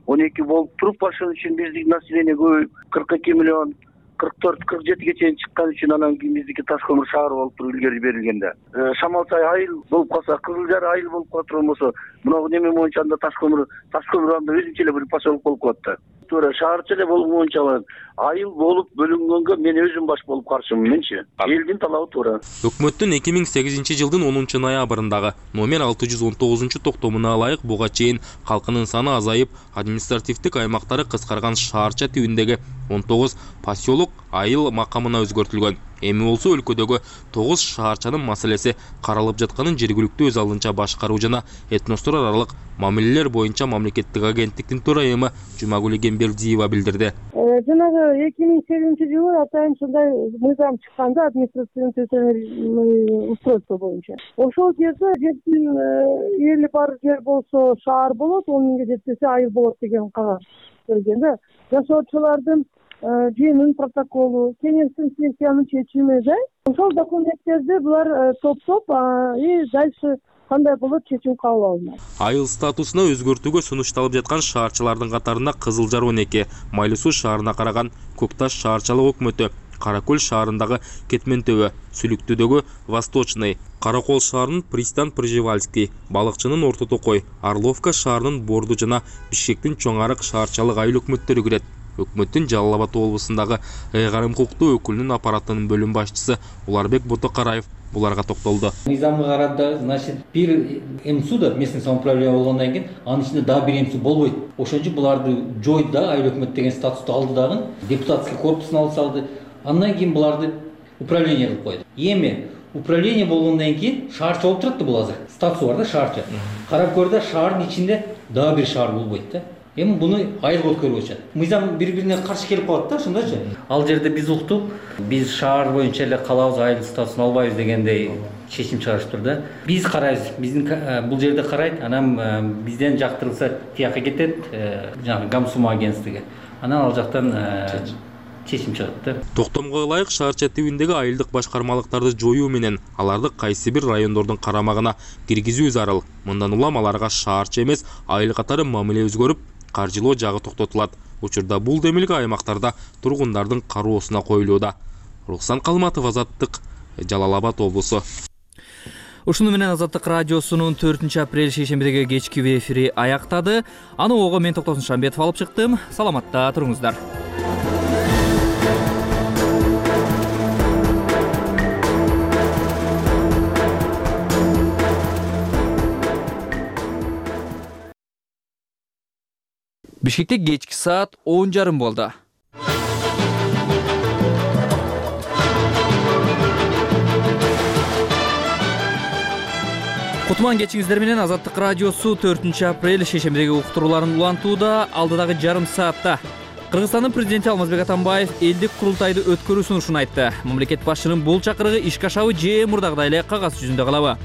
[SPEAKER 25] он эки болуп туруп, ошон үчүн биздин население көбөйүп кырк эки миллион, кырк төрт, кырк жетиге чейин чыккан үчүн анан кийин биздики Таш көмүр шаар болуп туруп илгери берилгенде. Шамалсай айыл болуп калса, Кызылжар айыл болуп кала турган болсо, мына неме боюнча анда Таш көмүр, Таш көмүр анда өзүнчө эле бир поселок болуп калат да. Туура шаарча эле болуп боюнча айыл болуп бөлүнгөнгө мен өзүм баш болуп каршымын менчи. Элдин талабы туура.
[SPEAKER 23] Өкмөттүн эки миң сегизинчи жылдын онунчу ноябрындагы номер алты жүз он тогузунчу токтомуна ылайык буга чейин калкынын саны азайып, административдик аймактары кыскарган шаарча тибиндеги он тогуз поселок айыл макамына өзгөртүлгөн. Эми болсо өлкөдөгү тогуз шаарчанын маселеси каралып жатканын жергиликтүү өз алдынча башкаруу жана этностор аралык мамилелер боюнча мамлекеттик агенттиктин төрайымы Жумагүл Эгембердиева билдирди.
[SPEAKER 26] Жанагы эки миң сегизинчи жылы атайын ушундай мыйзам чыкканда административный устройство боюнча. Ошол жерде жердин эли бар жер болсо шаар болот, он миңге жетпесе айыл болот деген кагаз келген да. Жашоочулардын жыйынын протоколу, кеңештин сессиянын чечимиде ошол документтерди булар топтоп и дальше кандай болот чечим кабыл алынат.
[SPEAKER 23] Айыл статусуна өзгөртүүгө сунушталып жаткан шаарчалардын катарында Кызылжар он эки, Майлы суу шаарына караган Көк Таш шаарчалык өкмөтү, Кара көл шаарындагы Кетмен төбө, Сүлүктүүдөгү Восточный, Каракол шаарынын Пристан Пржевальский, Балыкчынын Орто Токой, Орловка шаарынын Борду жана Бишкектин Чоң Арык шаарчалык айыл өкмөттөрү кирет. Өкмөттүн Жалал Абад облусундагы ыйгарым укуктуу өкүлүнүн аппаратынын бөлүм башчысы Уларбек Ботокараев буларга токтолду.
[SPEAKER 27] Мыйзамга карата, значит, бир МСУ да местный самоуправление болгондон кийин анын ичинде дагы бир МСУ болбойт. Ошон үчүн буларды жойду да, айыл өкмөт деген статусту алды дагы, депутатский корпусун алып салды. Андан кийин буларды управление кылып койду. Эми управление болгондон кийин шаарча болуп турат да бул азыр. Статусу бар да шаарча. Карап көрдө шаардын ичинде дагы бир шаар болбойт да. Эми буну айылга өткөрүп атышат. Мыйзам бири-бирине каршы келип калат да, ошондойчу. Ал жерде биз уктук, биз шаар боюнча эле калабыз, айыл статусун албайбыз дегендей чечим чыгарышыптыр да. Биз карайбыз, биздин бул жерде карайт, анан бизден жактырылса тияка кетет, жанагы Гамсума агентствиге. Анан ал жактан чечим чыгат да.
[SPEAKER 23] Токтомго ылайык шаарча тибиндеги айылдык башкармалыктарды жоюу менен аларды кайсы бир райондордун карамагына киргизүү зарыл. Мындан улам аларга шаарча эмес айыл катары мамиле өзгөрүп, каржылоо жагы токтотулат. Учурда бул демилге аймактарда тургундардын кароосуна коюлууда. Рухсан Калматов, Азаттык, Жалал Абад облусу.
[SPEAKER 1] Ушуну менен Азаттык радиосунун төртүнчү апрель шейшембидеги кечки эфири аяктады. Аны ого мен Токтосун Шамбетов алып чыктым. Саламатта туруңуздар. Бишкекте кечки саат он жарым болду. Кутман кечиңиздер менен Азаттык радиосу төртүнчү апрель шейшембидеги уктурууларын улантууда. Алдыдагы жарым саатта Кыргызстандын президенти Алмазбек Атамбаев элдик курултайды өткөрүү сунушун айтты. Мамлекет башчынын бул чакырыгы ишке ашабы же мурдагыдай эле кагаз жүзүндө калабы?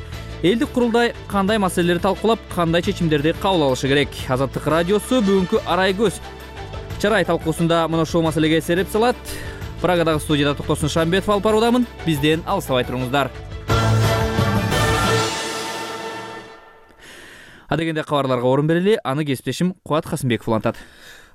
[SPEAKER 1] Элдик курултай кандай маселелерди талкуулап, кандай чечимдерди кабыл алышы керек? Азаттык радиосу бүгүнкү арай көз чарай талкуусунда мына ошол маселеге сереп салат. Прагадагы студияда Токтосун Шамбетов алып баруудамын. Бизден алыстабай туруңуздар. Адегенде кабарларга орун берели, аны кесиптешим Кубат Касымбеков улантат.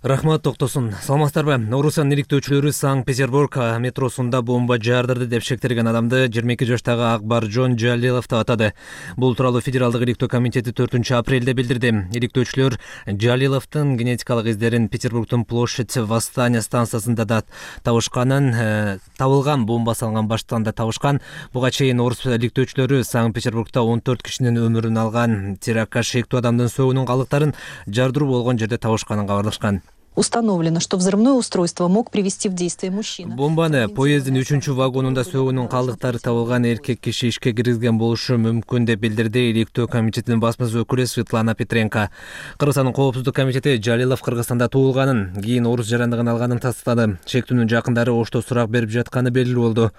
[SPEAKER 4] Рахмат Токтосун. Саламатсыздарбы? Орусиянын иликтөөчүлөрү Санкт-Петербург метросунда бомба жаардырды деп шектелген адамды жыйырма эки жаштагы Акбаржон Жалилов деп атады. Бул тууралуу Федералдык иликтөө комитети төртүнчү апрелде билдирди. Иликтөөчүлөр Жалиловдун генетикалык издерин Петербургдун Площадь Восстания станциясында да табышканын, табылган бомба салган баштан да табышкан. Буга чейин орус иликтөөчүлөрү Санкт-Петербургда он төрт кишинин өмүрүн алган терактка шектүү адамдын сөөгүнүн калдыктарын жардыруу болгон жерде табышканын кабарлашкан.
[SPEAKER 6] Установлено, что взрывное устройство мог привести в действие мужчина.
[SPEAKER 4] Бомбаны поездин үчүнчү вагонунда сөөгүнүн калдыктары табылган эркек киши ишке киргизген болушу мүмкүн деп билдирди иликтөө комитетинин басма өкүлү Светлана Петренко. Кыргызстандын коопсуздук комитети Жалилов Кыргызстанда туулганын, кийин орус жарандыгын алганын тастады. Шектүүнүн жакындары ошто сурак берип жатканы белгилүү болду.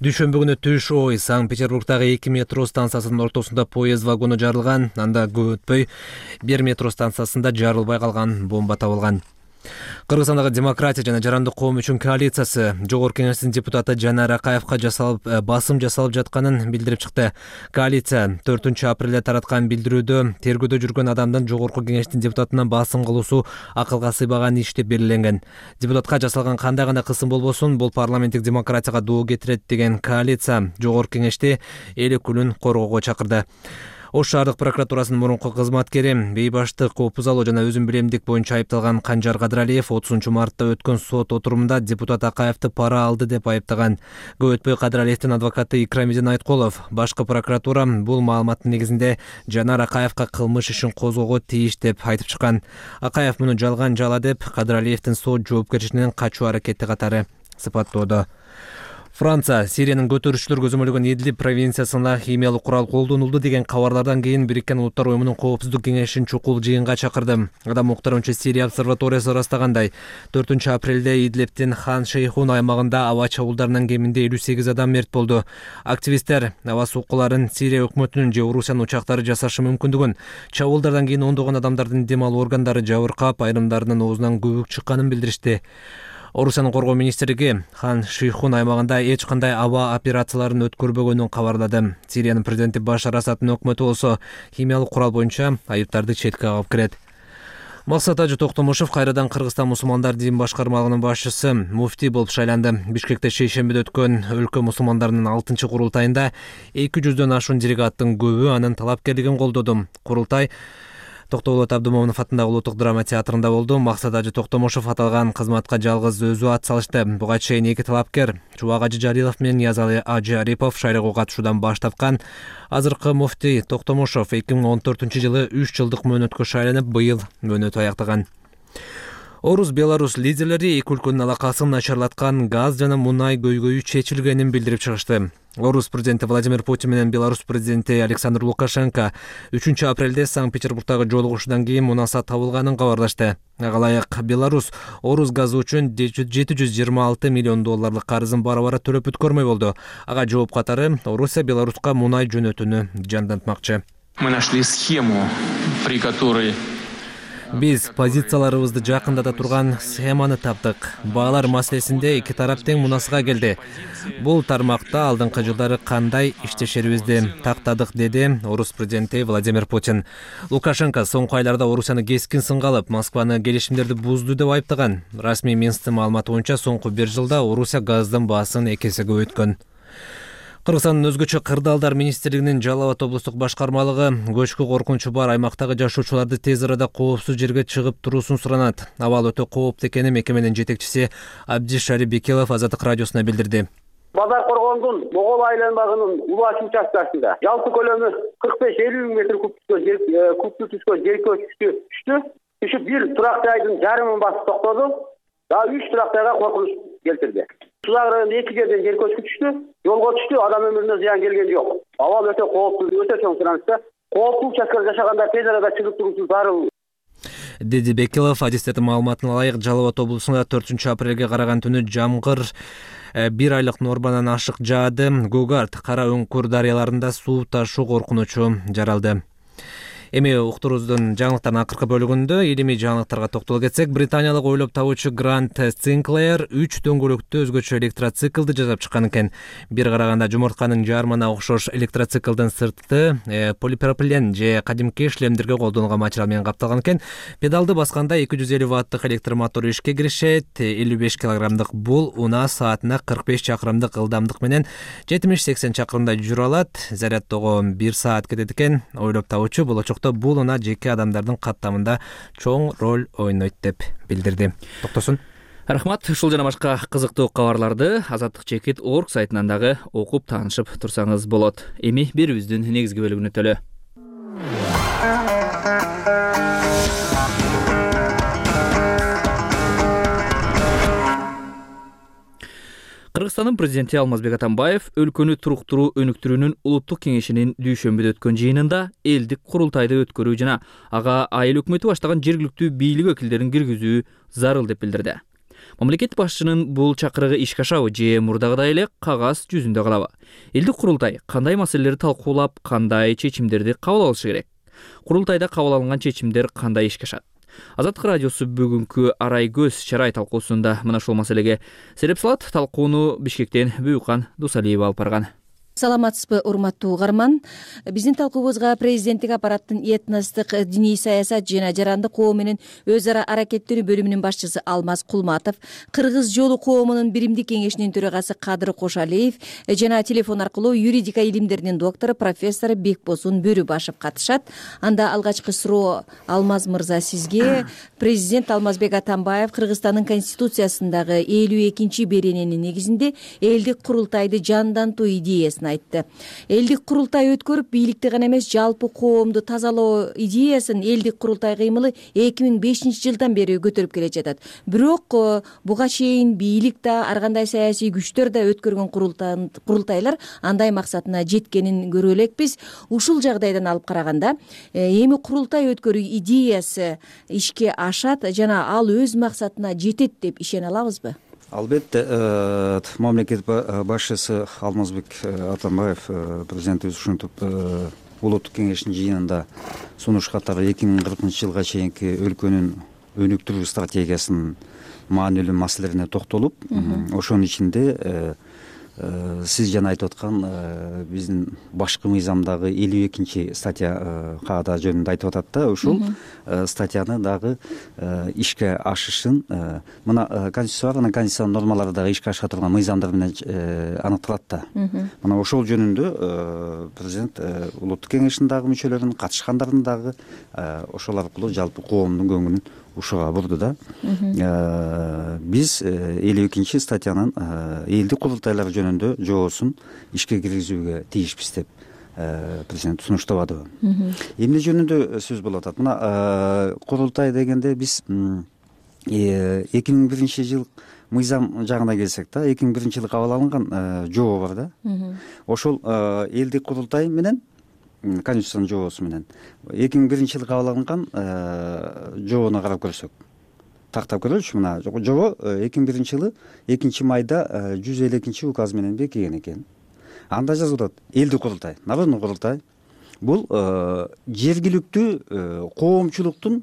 [SPEAKER 4] Дүйшөмбү күнү түш ой Санкт-Петербургдагы эки метро станциясынын ортосунда поезд вагону жарылган. Анда көп өтпөй бир метро станциясында жарылбай калган бомба табылган. Кыргызстандагы демократия жана жарандык коом үчүн коалициясы Жогорку Кеңештин депутаты Жанар Акаевка жасалып басым жасалып жатканын билдирип чыкты. Коалиция төртүнчү апрелде тараткан билдирүүдө тергөөдө жүргөн адамдын Жогорку Кеңештин депутатына басым кылуусу акылга сыйбаган иш деп белгиленген. Депутатка жасалган кандай гана кысым болбосун, бул парламенттик демократияга доо кетирет деген коалиция Жогорку Кеңешти эл өкүлүн коргоого чакырды. Ош шаардык прокуратурасынын мурунку кызматкери, бейбаштык, опузалоо жана өзүн билемдик боюнча айыпталган Канжар Кадыралиев отузунчу мартта өткөн сот отурумунда депутат Акаевди пара алды деп айыптаган. Көп өтпөй Кадыралиевдин адвокаты Икрамидин Айткулов башкы прокуратура бул маалыматтын негизинде Жанар Акаевга кылмыш ишин козгоого тийиш деп айтып чыккан. Акаев муну жалган жала деп Кадыралиевдин сот жоопкерчилигинен качуу аракети катары сыпаттоодо. Франция Сириянын көтөрүүчүлөр көзөмөлгөн Идлиб провинциясына химиялык курал колдонулду деген кабарлардан кийин Бириккен Улуттар Уюмунун коопсуздук кеңешин чукул жыйынга чакырды. Адам укуктаруучу Сирия обсерваториясы ырастагандай, төртүнчү апрелде Идлибтин Хан Шейхун аймагында аба чабуулдарынан кеминде элүү сегиз адам мерт болду. Активисттер аба соккуларын Сирия өкмөтүнүн же Орусиянын учактары жасашы мүмкүндүгүн, чабуулдардан кийин ондогон адамдардын дем алуу органдары жабыркап, айрымдарынын оозунан көбүк чыкканын билдиришти. Орусиянын коргоо министрлиги Хан Шейхун аймагында эч кандай аба операцияларын өткөрбөгөнүн кабарлады. Сириянын президенти Башар Асаддын өкмөтү болсо химиялык курал боюнча айыптарды четке кагып кирет. Максат Ажы Токтомушев кайрадан Кыргызстан мусулмандар дин башкармалыгынын башчысы, муфтий болуп шайланды. Бишкекте шейшембиде өткөн өлкө мусулмандарынын алтынчы курултайында эки жүздөн ашуун делегаттын көбү анын талапкерлигин колдоду. Курултай Токтоолот Абдымомунов атындагы Улуттук драма театрында болду. Максат Ажы Токтомушев аталган кызматка жалгыз өзү ат салышты. Буга чейин эки талапкер Чубак Ажы Жалилов менен Ниязалы Ажы Арипов шайлоого катышуудан баш тарткан. Азыркы муфтий Токтомушев эки миң он төртүнчү жылы үч жылдык мөөнөткө шайланып, быйыл мөөнөтү аяктаган. Орус Беларус лидерлери эки өлкөнүн алакасын начарлаткан газ жана мунай көйгөйү чечилгенин билдирип чыгышты. Орус президенти Владимир Путин менен Беларусь президенти Александр Лукашенко үчүнчү апрелде Санкт-Петербургдагы жолугушуудан кийин мунаса табылганын кабарлашты. Ага ылайык Беларусь Орус газы үчүн жети жүз жыйырма алты миллион долларлык карызын бара-бара төлөп бүткөрмөй болду. Ага жооп катары Орусия Беларуска мунай жөнөтүүнү жандантмакчы.
[SPEAKER 7] Мы нашли схему, при которой
[SPEAKER 4] Биз позицияларыбызды жакындата турган схеманы таптык. Баалар маселесинде эки тарап тең мунасага келди. Бул тармакта алдыңкы жылдары кандай иштешерибизди тактадык, деди Орус президенти Владимир Путин. Лукашенко соңку айларда Орусияны кескин сынга алып, Москваны келишимдерди бузду деп айыптаган. Расмий Минсктин маалыматы боюнча соңку бир жылда Орусия газдын баасын эки эсеге өткөн. Кыргызстандын өзгөчө кырдаалдар министрлигинин Жалал Абад облустук башкармалыгы көчкү коркунучу бар аймактагы жашоочуларды тез арада коопсуз жерге чыгып туруусун суранат. Абал өтө кооптуу экенин мекеменин жетекчиси Абдишари Бекелов Азаттык радиосуна билдирди.
[SPEAKER 7] Базар Коргондун Могол айланбагынын улач участкасында жалпы көлөмү кырк беш элүү миң метр кубтуу түшкөн жер көчкү түштү. Түшүп бир турактай айдын жарымын басып токтоду. Дагы үч турактайга коркунуч келтирди. Сулак районунда эки жерден жер көчкү түштү, жолго түштү, адам өмүрүнө зыян келген жок. Абал өтө кооптуу, өтө чоң суранычта. Кооптуу участкада жашаганда тез арада чыгып туруусу зарыл,
[SPEAKER 4] деди Бекелов. Адистердин маалыматына ылайык, Жалал Абад облусунда төртүнчү апрелге караган түнү жамгыр бир айлык нормадан ашык жаады. Гугарт, Кара Өңкүр дарыяларында суу ташуу коркунучу жаралды. Эми уктуруубуздун жаңылыктардын акыркы бөлүгүндө илимий жаңылыктарга токтоло кетсек, британиялык ойлоп табуучу Грант Синклер үч дөңгөлөктүү өзгөчө электроциклди жасап чыккан экен. Бир караганда жумуртканын жармына окшош электроциклдин сырты э, полипропилен же кадимки шлемдерге колдонулган материал менен капталган экен. Педалды басканда эки жүз элүү ваттык электр мотор ишке киришет. элүү беш килограммдык бул унаа саатына кырк беш чакырымдык ылдамдык менен жетимиш сексен чакырымдай жүрө алат. Зарядтоого бир саат кетет экен. Ойлоп табуучу болочок бул унаа жеке адамдардын каттамында чоң роль ойнойт деп билдирди. Токтосун.
[SPEAKER 1] Рахмат. Ушул жана башка кызыктуу кабарларды Азаттык чекит точка орг сайтынан дагы окуп таанышып турсаңыз болот. Эми берүүбүздүн негизги бөлүгүнө өтөлү. Кыргызстандын президенти Алмазбек Атамбаев өлкөнү туруктуруу өнүктүрүүнүн улуттук кеңешинин дүйшөмбүдө өткөн жыйынында элдик курултайды өткөрүү жана ага айыл өкмөтү баштаган жергиликтүү бийлик өкүлдөрүн киргизүү зарыл деп билдирди. Мамлекет башчынын бул чакырыгы ишке ашабы же мурдагыдай эле кагаз жүзүндө калабы? Элдик курултай кандай маселелерди талкуулап, кандай чечимдерди кабыл алышы керек? Курултайда кабыл алынган чечимдер кандай ишке ашат? Азаттык радиосу бүгүнкү Арай көз чарай талкуусунда мына ушул маселеге сереп салат. Талкууну Бишкектен Бүйүкан Дусалиева алып барган.
[SPEAKER 8] Саламатсызбы, урматтуу угарман. Биздин талкуубузга президенттик аппараттын этностук, диний саясат жана жарандык коом менен өз ара аракеттенүү бөлүмүнүн башчысы Алмаз Кулматов, Кыргыз жолу коомунун биримдик кеңешинин төрагасы Кадыр Кошалиев жана телефон аркылуу юридика илимдеринин доктору профессор Бекбосун Бөрүбашев катышат. Анда алгачкы суроо Алмаз мырза сизге. Президент Алмазбек Атамбаев Кыргызстандын конституциясындагы элүү экинчи берененин негизинде элдик курултайды жандантуу идеясын айтты. Элдик курултай өткөрүп, бийликти гана эмес, жалпы коомду тазалоо идеясын элдик курултай кыймылы эки миң бешинчи жылдан бери көтөрүп келе жатат. Бирок буга чейин бийлик да, ар кандай саясий күчтөр да өткөргөн курултайлар андай максатына жеткенин көрө элекпиз. Ушул жагдайдан алып караганда, эми курултай өткөрүү идеясы ишке ашат жана ал өз максатына жетет деп ишене алабызбы?
[SPEAKER 9] Албетте, мамлекет башчысы Алмазбек Атамбаев президентибиз ушинтип улуттук кеңештин жыйынында сунуш катары эки миң кыркынчы жылга чейинки өлкөнүн өнүктүрүү стратегиясынын маанилүү маселелерине токтолуп, ошонун ичинде сиз жана айтып аткан биздин башкы мыйзамдагы элүү экинчи статья каада жөнүндө айтып атат да, ушул статьяны дагы ишке ашышын мына конституцияга, мына конституциянын нормалары дагы ишке аша турган мыйзамдар менен аныкталат да. Мына ошол жөнүндө президент улуттук кеңештин дагы мүчөлөрүн, катышкандардын дагы ошол аркылуу жалпы коомдун көңүлүн ушуга бурду да. Биз элүү экинчи статьянын элдик курултайлар жөнүндө жоосун ишке киргизүүгө тийишпиз деп президент сунуштабады. Эмне жөнүндө сөз болуп атат? Мына курултай дегенде биз эки миң биринчи жыл мыйзам жагына келсек да, эки миң биринчи жылы кабыл алынган жоо бар да. Ошол элдик курултай менен конституциянын жоосу менен эки миң биринчи жылы кабыл алынган жоону карап көрсөк, тактап көрөлүчү. Мына жоо эки миң биринчи жылы экинчи майда жүз элүү экинчи указ менен бекиген экен. Анда жазылып атат: элдик курултай, народный курултай бул жергиликтүү коомчулуктун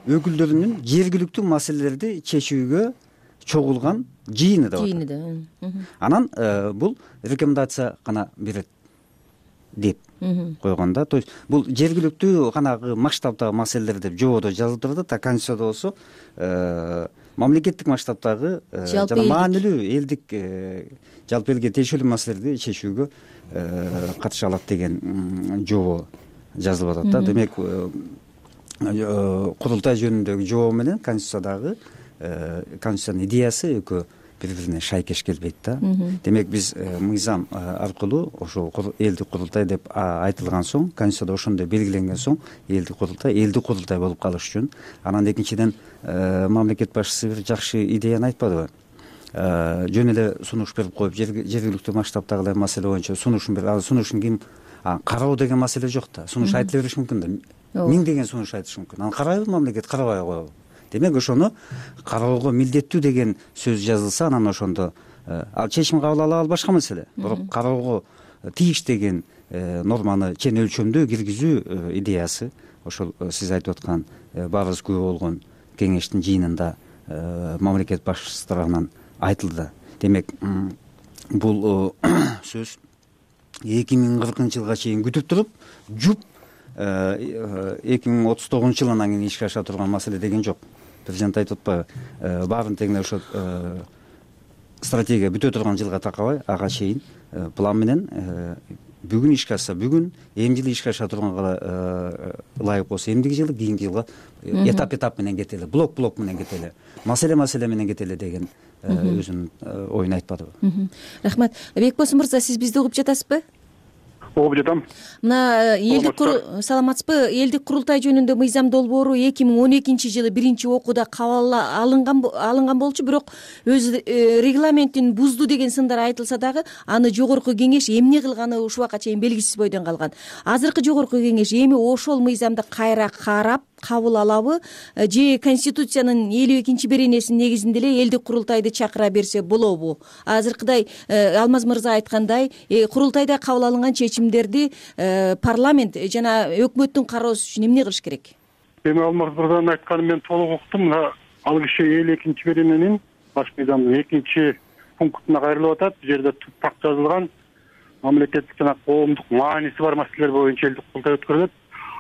[SPEAKER 9] өкүлдөрүнүн жергиликтүү маселелерди чечүүгө чогулган жыйыны деп
[SPEAKER 8] жыйыны
[SPEAKER 9] атат.
[SPEAKER 8] да.
[SPEAKER 9] Анан бул рекомендация гана берет деп койгон да. То есть бул жергиликтүү канагы масштабтагы маселелер деп жободо жазылып турат, а конституцияда болсо мамлекеттик масштабтагы жана маанилүү элдик жалпы элге тиешелүү маселелерди чечүүгө катыша алат деген жобо жазылып атат да. Демек курултай жөнүндөгү жобо менен конституциядагы конституциянын идеясы экөө бири бирине шайкеш келбейт да. Демек биз мыйзам аркылуу ошол элдик курултай деп айтылган соң, конституцияда ошондой белгиленген соң элдик курултай элдик курултай болуп калыш үчүн. Анан экинчиден мамлекет башчысы бир жакшы идеяны айтпадыбы? Жөн эле сунуш берип коюп, жергиликтүү масштабтагы маселе боюнча сунушун берип, ал сунушун ким кароо деген маселе жок да. Сунуш айтыла бериш мүмкүн да. Миңдеген сунуш айтышы мүмкүн. Аны карайбы мамлекет, карабай коебу? Демек ошону кароого милдеттүү деген сөз жазылса, анан ошондо ал чечим кабыл ала ал башка маселе. Бирок кароого тийиш деген норманы чен өлчөмдүү киргизүү идеясы ошол сиз айтып аткан баарыбыз күбө болгон кеңештин жыйынында мамлекет башчысы тарабынан айтылды. Демек бул сөз эки миң кыркынчы жылга чейин күтүп туруп, жуп эки миң отуз тогузунчу жылы анан кийин ишке аша турган маселе деген жок. Президент айтып атпайбы, баарын тегине ошо стратегия бүтө турган жылга такабай, ага чейин план менен бүгүн ишке ашса бүгүн, эмди жылы ишке аша турганга ылайык болсо эмдиги жылы, кийинки жылга этап этап менен кетели, блок блок менен кетели, маселе маселе менен кетели деген өзүнүн оюн айтпадыбы?
[SPEAKER 8] Рахмат. Бекбосун мырза, сиз бизди угуп жатасызбы?
[SPEAKER 10] Угуп жатам.
[SPEAKER 8] Мына элдик саламатсызбы? Элдик курултай жөнүндө мыйзам долбоору эки миң он экинчи жылы биринчи окууда кабыл алынган алынган болчу, бирок өз регламентин бузду деген сындар айтылса дагы, аны жогорку кеңеш эмне кылганы ушуга чейин белгисиз бойдон калган. Азыркы жогорку кеңеш эми ошол мыйзамды кайра карап кабыл алабы же конституциянын элүү экинчи беренесинин негизинде эле элдик курултайды чакыра берсе болобу? Азыркыдай Алмаз мырза айткандай, курултайда кабыл алынган чечимдерди парламент жана өкмөттүн кароосу үчүн эмне кылыш керек?
[SPEAKER 10] Эми Алмаз мырзанын айтканын мен толук уктум. Ал киши элүү экинчи берененин баш мыйзамдын экинчи пунктуна кайрылып атат. Бул жерде тупак жазылган мамлекеттик жана коомдук мааниси бар маселелер боюнча элдик курултай өткөрүлөт.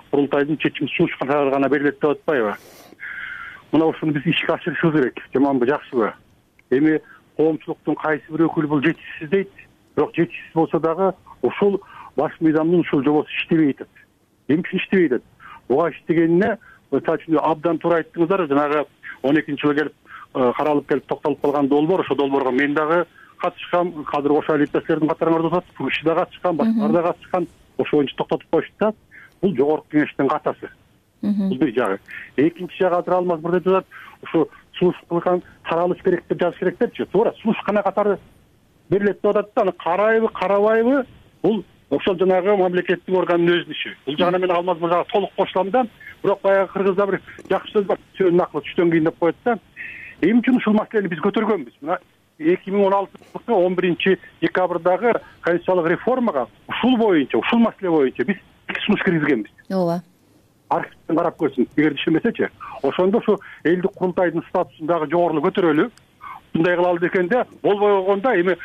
[SPEAKER 10] Курултайдын чечим сунушкандары гана берилет деп атпайбы? Мына ушуну биз ишке ашырышыбыз керек. Жаманбы, жакшыбы? Эми коомчулуктун кайсы бир өкүлү бул жетишсиз дейт. Бирок жетишсиз болсо дагы ушул баш мыйзамдын ушул жобосу иштебей атат. Эмне үчүн иштебей атат? Буга иштегенине мисалы үчүн абдан туура айттыңыздар. Жанагы он экинчи жылы келип каралып келип токтолуп калган долбоор, ошол долбоорго мен дагы катышкам, кадыр кошо иптештердин катарыңарда отурат, Куруши да катышкан, башкалар да катышкан. Ошол боюнча токтотуп коюшту да. Бул жогорку кеңештин катасы. Бул бир жагы. Экинчи жагы азыр Алмаз мырза айтып атат, ушу сунуш кылган таралыш керек деп жазыш керек депчи. Туура, сунуш кана катары берилет деп атат да, аны карайбы, карабайбы, бул ошол жанагы мамлекеттик органдын өзүнүн иши. Бул жагына мен Алмаз мырзага толук кошулам да. Бирок баягы кыргызда бир жакшы сөз бар, сөөнүн акылы түштөн кийин деп коет да. Эмне үчүн ушул маселени биз көтөргөнбүз? Мына эки миң он алтынчы жылы он биринчи декабрдагы конституциялык реформага ушул боюнча, ушул маселе боюнча биз сунуш киргизгенбиз.
[SPEAKER 8] Ооба.
[SPEAKER 10] Архивден карап көрсүң, эгер ишенбесечи, ошондо ушу элдик курултайдын статусун дагы жогорулу көтөрөлү. Мындай кылалы дегенде болбой койгондо эми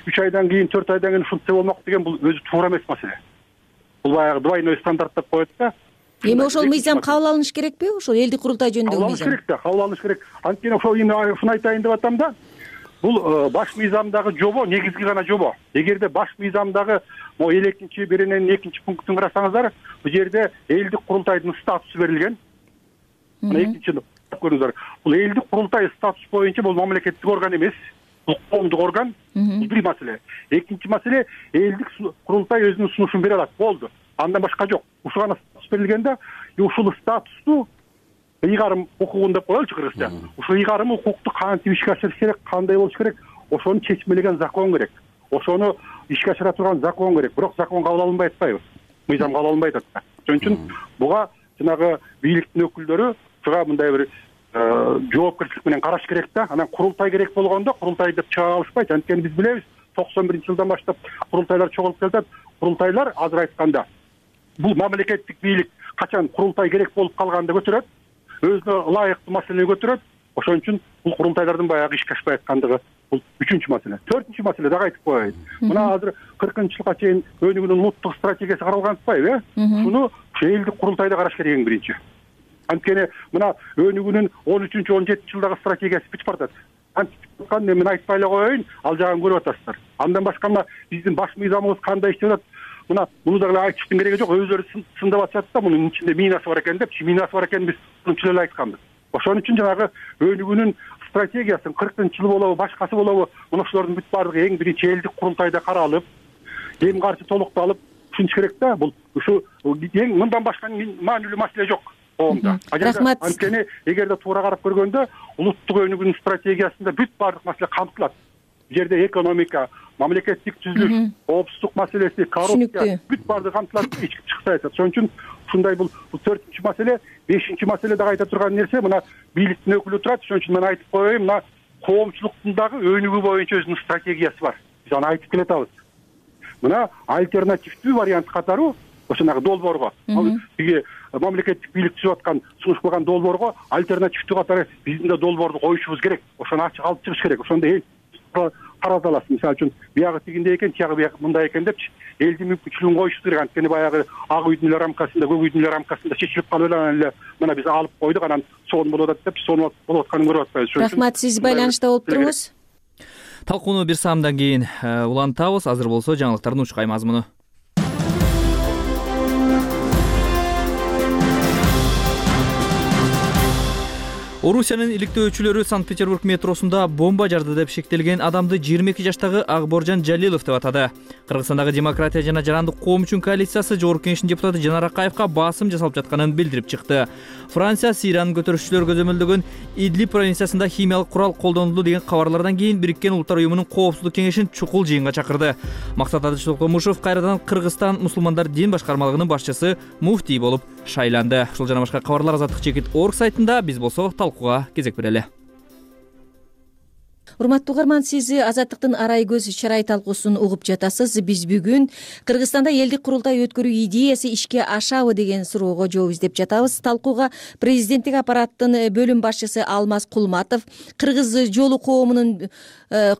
[SPEAKER 10] үч айдан кийин, төрт айдан кийин ушунча болмок деген бул өзү туура эмес маселе. Бул баягы двойной стандарт деп коет да.
[SPEAKER 8] Эми ошол мыйзам кабыл алыныш керекпи? Ошол элдик курултай жөнүндөгү мыйзам.
[SPEAKER 10] Кабыл алыныш керек да, кабыл алыныш керек. Анткени ошол ушуну айтайын деп атам да. Бул баш мыйзамдагы жобо негизги гана жобо. Эгерде баш мыйзамдагы могу элүү экинчи берененин экинчи пунктун карасаңыздар, бул жерде элдик курултайдын статусу берилген. Мына экинчи көрүңүздөр. Бул элдик курултай статус боюнча бул мамлекеттик орган эмес, бул коомдук орган. Бул бир маселе. Экинчи маселе, элдик курултай өзүнүн сунушун бере алат. Болду. Андан башка жок. Ушул гана статус берилгенде, ушул статусту ыйгарым укугун деп коелучу кыргызча. Ушул ыйгарым укукту кантип ишке ашырыш керек, кандай болуш керек, ошону чечмелеген закон керек. Ошону ишке ашыра турган закон керек. Бирок закон кабыл алынбай атпайбы? Мыйзам кабыл алынбай атат. Ошон үчүн буга жанагы бийликтин өкүлдөрү буга мындай бир жоопкерчилик менен караш керек да. Анан курултай керек болгондо курултай деп чыга алышпайт. Анткени биз билебиз, токсон биринчи жылдан баштап курултайлар чогулуп келатат. Курултайлар азыр айтканда бул мамлекеттик бийлик качан курултай керек болуп калганда көтөрөт. өзүнө ылайыктуу маселени көтөрөт. Ошон үчүн бул курултайлардын баягы ишке ашпай аткандыгы бул үчүнчү маселе. Төртүнчү маселе дагы айтып коеюн. Мына азыр кыркынчы жылга чейин өнүгүүнүн улуттук стратегиясы каралган атпайбы, э? Шуну элдик курултайда караш керек эң биринчи. Анткени мына өнүгүүнүн он үчүнчү он жетинчи жылдагы стратегиясы бүтүп баратат. Антикан мен айтпай эле коеюн, ал жагын көрүп атасыздар. Андан башка мына биздин баш мыйзамыбыз кандай иштеп атат? Мына муну дагы айтыштын кереги жок, өзүлөрү сындап атышат да, мунун ичинде минасы бар экен депчи, минасы бар экенин биз мынча эле айтканбыз. Ошон үчүн жанагы өнүгүүнүн стратегиясын кыркынчы жыл болобу, башкасы болобу, мына ушулардын бүт баардыгы эң биринчи элдик курултайда каралып, эң каршы толукталып түшүнүш керек да. Бул ушу эң мындан башка маанилүү маселе жок коомдо.
[SPEAKER 8] Рахмат.
[SPEAKER 10] Анткени эгерде туура карап көргөндө улуттук өнүгүүнүн стратегиясында бүт баардык маселе камтылат. Бул жерде экономика, мамлекеттик түзүлүш, коопсуздук маселеси, коррупция бүт баардыгы камтылат, ички тышкы саясат. Ошон үчүн ушундай бул төртүнчү маселе. Бешинчи маселе дагы айта турган нерсе, мына бийликтин өкүлү турат. Ошон үчүн мен айтып коеюн, мына коомчулуктун дагы өнүгүү боюнча өзүнүн стратегиясы бар. Биз аны айтып келатабыз. Мына альтернативдүү вариант катары ошонагы долбоорго, биги мамлекеттик бийлик түзүп аткан, сунуш кылган долбоорго альтернативдүү катары биздин да долбоорду коюшубуз керек. Ошону ачык алып чыгыш керек. Ошондо эл карата аласыз. Мисалы үчүн биягы тигиндей экен, тиягы бияк мындай экен депчи элдин мүмкүнчүлүгүн коюшубуз керек. Анткени баягы ак үйдүн эле рамкасында, көк үйдүн эле рамкасында чечилип калып эле анан эле мына биз алып койдук, анан сонун болуп атат деп сонун болуп атканын көрүп атпайбыз.
[SPEAKER 8] Рахмат, сиз байланышта болуп туруңуз.
[SPEAKER 1] Талкууну бир саамдан кийин улантабыз. Азыр болсо жаңылыктардын учкай мазмуну. Орусиянын иликтөөчүлөрү Санкт-Петербург метросунда бомба жарды деп шектелген адамды жыйырма эки жаштагы Акборжон Жалилов деп атады. Кыргызстандагы Демократия жана Жарандык коом үчүн коалициясы Жогорку Кеңештин депутаты Жанар Акаевка басым жасалып жатканын билдирип чыкты. Франция Сириянын көтөрүшчүлөр көзөмөлдөгөн Идлиб провинциясында химиялык курал колдонулду деген кабарлардан кийин Бириккен Улуттар уюмунун коопсуздук кеңешин чукул жыйынга чакырды. Максат Адыш Токомушев кайрадан Кыргызстан мусулмандар дин башкармалыгынын башчысы муфтий болуп шайланды. Ушул жана башка кабарлар Азаттык чекит орг сайтында. Биз болсо талкууга кезек берели.
[SPEAKER 8] Урматтуу угарман, сиз Азаттыктын арай көз чарай талкуусун угуп жатасыз. Биз бүгүн Кыргызстанда элдик курултай өткөрүү идеясы ишке ашабы деген суроого жооп издеп жатабыз. Талкууга президенттик аппараттын бөлүм башчысы Алмаз Кулматов, Кыргыз жолу коомунун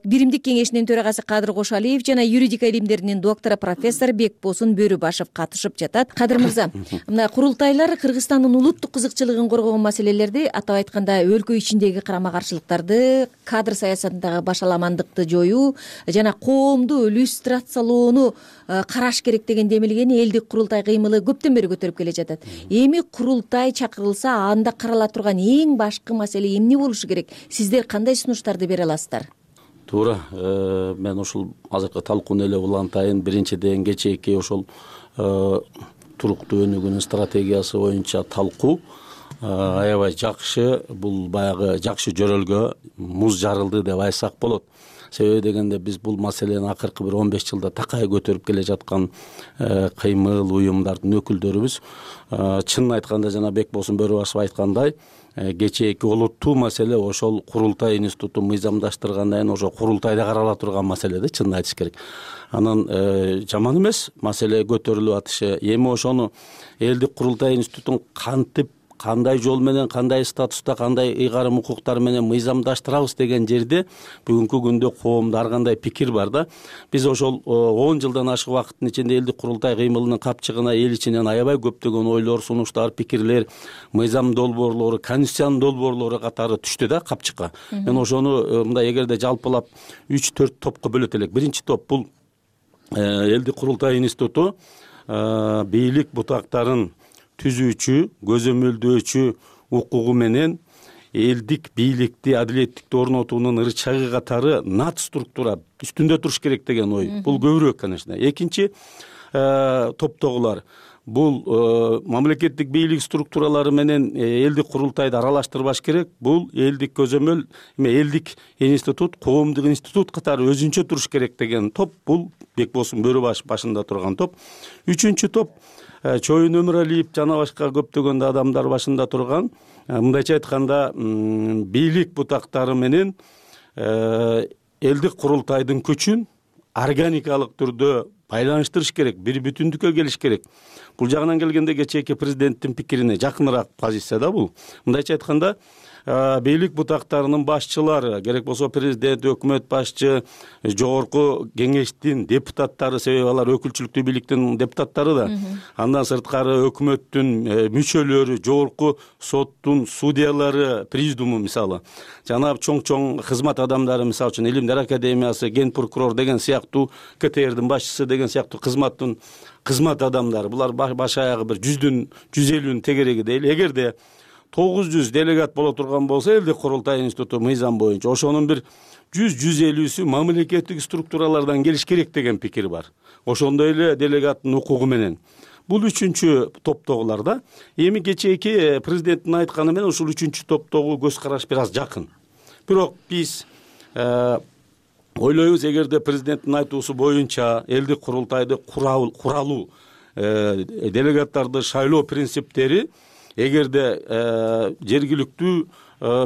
[SPEAKER 8] биримдик кеңешинин төрагасы Кадыр Кошалиев жана юридика илимдеринин доктору профессор Бекбосун Бөрүбашев катышып жатат. Кадыр мырза, мына курултайлар Кыргызстандын улуттук кызыкчылыгын коргогон маселелерди, атап айтканда өлкө ичиндеги карама-каршылыктарды, кадр саясатындагы башаламандыкты жоюу жана коомду иллюстрациялоону караш керек деген демилгени элдик курултай кыймылы көптөн бери көтөрүп келе жатат. Эми курултай чакырылса, анда карала турган эң башкы маселе эмне болушу керек? Сиздер кандай сунуштарды бере аласыздар?
[SPEAKER 11] Туура, мен ушул азыркы талкууну эле улантайын. Биринчиден кечээки ошол туруктуу өнүгүүнүн стратегиясы боюнча талкуу аябай жакшы. Бул баягы жакшы жөрөлгө муз жарылды деп айтсак болот. Себеби дегенде биз бул маселени акыркы бир он беш жылда такай көтөрүп келе жаткан кыймыл уюмдардын өкүлдөрүбүз. Чынын айтканда жана Бекбосун Бөрүбашев айткандай, кечээки олуттуу маселе ошол курултай институту мыйзамдаштыргандан кийин ошо курултайда карала турган маселе да, чынын айтыш керек. Анан жаман эмес маселе көтөрүлүп атышы. Эми ошону элдик курултай институтун кантип, кандай жол менен, кандай статуста, кандай ыйгарым укуктар менен мыйзамдаштырабыз деген жерде бүгүнкү күндө коомдо ар кандай пикир бар да. Биз ошол он жылдан ашык убакыттын ичинде элдик курултай кыймылынын капчыгына эл ичинен аябай көптөгөн ойлор, сунуштар, пикирлер, мыйзам долбоорлору, конституциянын долбоорлору катары түштү да капчыкка. Мен ошону мындай эгерде жалпылап үч төрт топко бөлөт элек. Биринчи топ бул элдик курултай институту бийлик бутактарын түзүүчү, көзөмөлдөөчү укугу менен элдик бийликти, адилеттикти орнотуунун ырчагы катары нат структура үстүндө туруш керек деген ой. Бул көбүрөөк, конечно. Экинчи топтогулар бул мамлекеттик бийлик структуралары менен элдик курултайды аралаштырбаш керек. Бул элдик көзөмөл, эме элдик институт, коомдук институт катары өзүнчө туруш керек деген топ. Бул Бекбосун Бөрүбашев башында турган топ. Үчүнчү топ Чоюн Өмүралиев жана башка көптөгөн адамдар башында турган, мындайча айтканда бийлик бутактары менен элдик курултайдын күчүн органикалык түрдө байланыштырыш керек, бир бүтүндүккө келиш керек. Бул жагынан келгенде кечээки президенттин пикирине жакыныраак позиция да бул. Мындайча айтканда, бийлик бутактарынын башчылары, керек болсо президент, өкмөт башчы, жогорку кеңештин депутаттары, себеби алар өкүлчүлүктүү бийликтин депутаттары да, андан сырткары өкмөттүн мүчөлөрү, жогорку соттун судьялары, президиуму мисалы, жана чоң-чоң кызмат адамдары, мисалы үчүн Илимдер академиясы, ген прокурор деген сыяктуу, ка тэ эрдин башчысы деген сыяктуу кызматтын кызмат адамдары, булар баш аягы бир жүздүн жүз элүүнүн тегереги дейли. Эгерде тогуз жүз делегат боло турган болсо элдик курултай институту мыйзам боюнча ошонун бир жүз жүз элүүсү мамлекеттик структуралардан келиш керек деген пикир бар. Ошондой эле делегаттын укугу менен. Бул үчүнчү топтогулар да. Эми кечээки президенттин айтканы менен ушул үчүнчү топтогу көз караш бир аз жакын. Бирок биз ойлойбуз, эгерде президенттин айтуусу боюнча элдик курултайды куралуу, делегаттарды шайлоо принциптери эгерде жергиликтүү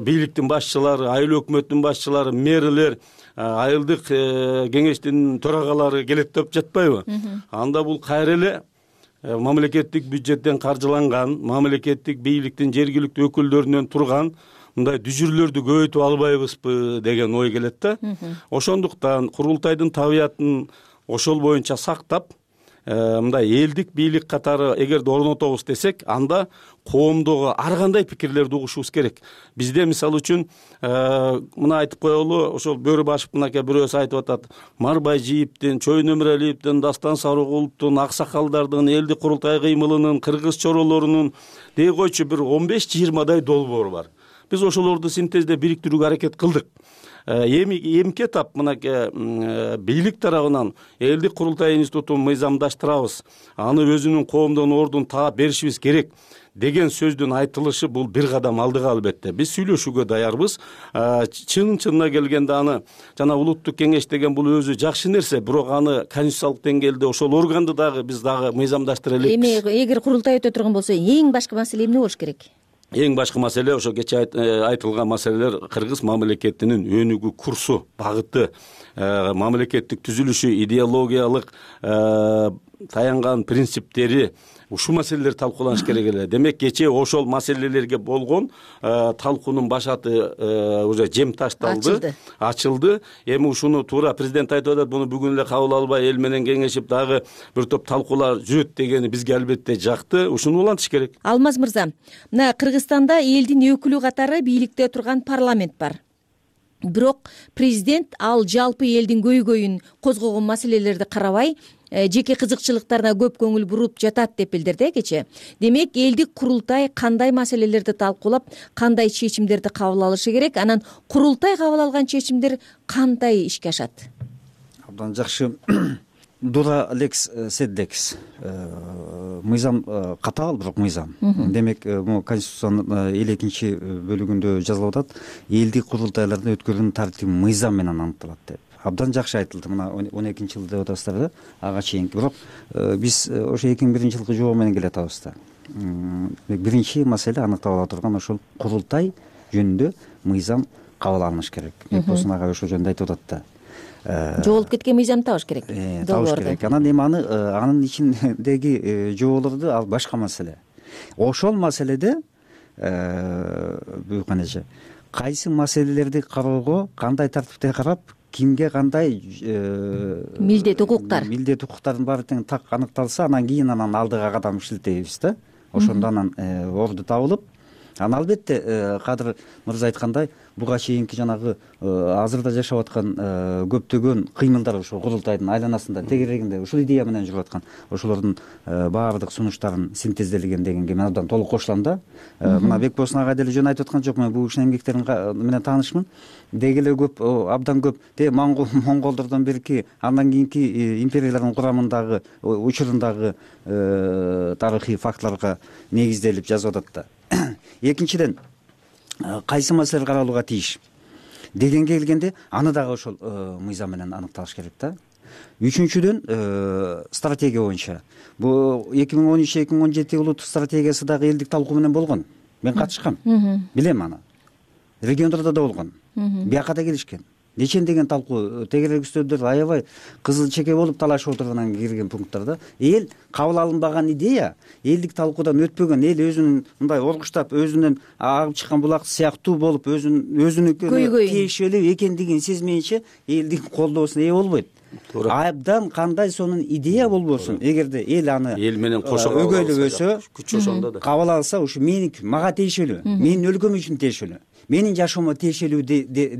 [SPEAKER 11] бийликтин башчылары, айыл өкмөттүн башчылары, мэрлер, айылдык кеңештин төрагалары келет деп жатпайбы? Анда бул кайра эле мамлекеттик бюджеттен каржыланган, мамлекеттик бийликтин жергиликтүү өкүлдөрүнөн турган мындай дүжүрлөрдү көбөйтүп албайбызбы деген ой келет да. Ошондуктан курултайдын табиятын ошол боюнча сактап, мындай элдик бийлик катары эгерде орнотобуз десек, анда коомдогу ар кандай пикирлерди угушубуз керек. Бизде мисалы үчүн мына айтып коелу, ошол Бөрүбашев мынакей бирөөсү айтып атат, Марбай Жийиптин, Чойун Өмүралиевдин, Дастан Сарыгуловдун, аксакалдардын, элдик курултай кыймылынын, кыргыз чоролорунун дей койчу бир он беш жыйырмадай долбоор бар. Биз ошолорду синтездеп бириктирүүгө аракет кылдык. Эми эмки этап мынакей бийлик тарабынан элдик курултай институтун мыйзамдаштырабыз, аны өзүнүн коомдон ордун таап беришибиз керек деген сөздүн айтылышы бул бир кадам алдыга албетте. Биз сүйлөшүүгө даярбыз. Чын-чынына келгенде аны жана улуттук кеңеш деген бул өзү жакшы нерсе, бирок аны конституциялык деңгээлде ошол органды дагы биз дагы мыйзамдаштыра элекпиз.
[SPEAKER 8] Эми эгер курултай өтө турган болсо, эң башкы маселе эмне болуш керек?
[SPEAKER 11] Эң башкы маселе ошо кечээ айтылган маселелер кыргыз мамлекетинин өнүгүү курсу, багыты, мамлекеттик түзүлүшү, идеологиялык таянган принциптери, ушул маселелер талкууланыш керек эле. Демек, кечээ ошол маселелерге болгон талкуунун башаты уже жем ташталды, ачылды. Эми ушуну туура президент айтып атат, буну бүгүн эле кабыл албай эл менен кеңешип дагы бир топ талкуулар жүрөт дегени бизге албетте жакты. Ушуну улантыш керек.
[SPEAKER 8] Алмаз мырза, мына Кыргызстанда элдин өкүлү катары бийликте турган парламент бар. Бирок президент ал жалпы элдин көйгөйүн козгогон маселелерди карабай, жеке кызыкчылыктарына көп көңүл буруп жатат деп билдирди кечээ. Демек, элдик курултай кандай маселелерди талкуулап, кандай чечимдерди кабыл алышы керек? Анан курултай кабыл алган чечимдер кандай ишке ашат?
[SPEAKER 9] Абдан жакшы. Дура лекс седдекс. Мыйзам катаал, бирок мыйзам. Демек, бул Конституциянын элүү экинчи бөлүгүндө жазылып атат, элдик курултайларды өткөрүүнүн тартиби мыйзам менен аныкталат деп. Абдан жакшы айтылды. Мына он экинчи жылы деп атасыздар да, ага чейинки. Бирок биз ошо эки миң биринчи жылкы жобо менен келе атабыз да. Биринчи маселе аныктала турган ошол курултай жөнүндө мыйзам кабыл алыныш керек. Бекболсун ага ошол жөнүндө айтып атат да.
[SPEAKER 8] Жоголуп кеткен мыйзам табыш керек.
[SPEAKER 9] Табыш керек. Анан эми аны анын ичиндеги жоболорду ал башка маселе. Ошол маселеде буюканеже кайсы маселелерди кароого кандай тартипте карап, кимге кандай
[SPEAKER 8] милдет укуктар
[SPEAKER 9] милдет укуктардын баары тең так аныкталса, анан кийин анан алдыга кадам иштетебиз да. Ошондо анан орду табылып, анан албетте Кадыр мырза айткандай, буга чейинки жанагы азырда жашап аткан көптөгөн кыймылдар ошо курултайдын айланасында, тегерегинде ушул идея менен жүрүп аткан, ошолордун баардык сунуштарын синтезделген дегенге мен абдан толук кошулам да. Мына Бекболсун ага деле жөн айтып аткан жок, мен бул кишинин эмгектерин менен таанышмын. Деги эле көп, абдан көп те монголдордон берки, андан кийинки империялардын курамындагы, учурундагы тарыхый фактыларга негизделип жазып атат да. Экинчиден, кайсы маселелер каралууга тийиш дегенге келгенде, аны дагы ошол мыйзам менен аныкталыш керек да. Үчүнчүдөн, стратегия боюнча бул эки миң он үч эки миң он жети улуттук стратегиясы дагы элдик талкуу менен болгон. Мен катышкам, билем аны. Региондордо да болгон. Бияка да келишкен. нечендеген талкуу тегерек үстөлдөр аябай кызыл чеке болуп талашып отургандан кирген пункттарда эл кабыл алынбаган идея, элдик талкуудан өтпөгөн, эл өзүнүн мындай оргуштап өзүнөн агып чыккан булак сыяктуу болуп өзүн өзүнүкүнө тиешелүү экендигин сезмейинче элдин колдоосуна ээ болбойт. Абдан кандай сонун идея болбосун, эгерде эл аны
[SPEAKER 11] эл менен кошо
[SPEAKER 9] өгөйлөбөсө,
[SPEAKER 11] күч ошондо да
[SPEAKER 9] кабыл алса, ушу меники, мага тиешелүү, менин өлкөм үчүн тиешелүү, менин жашоомо тиешелүү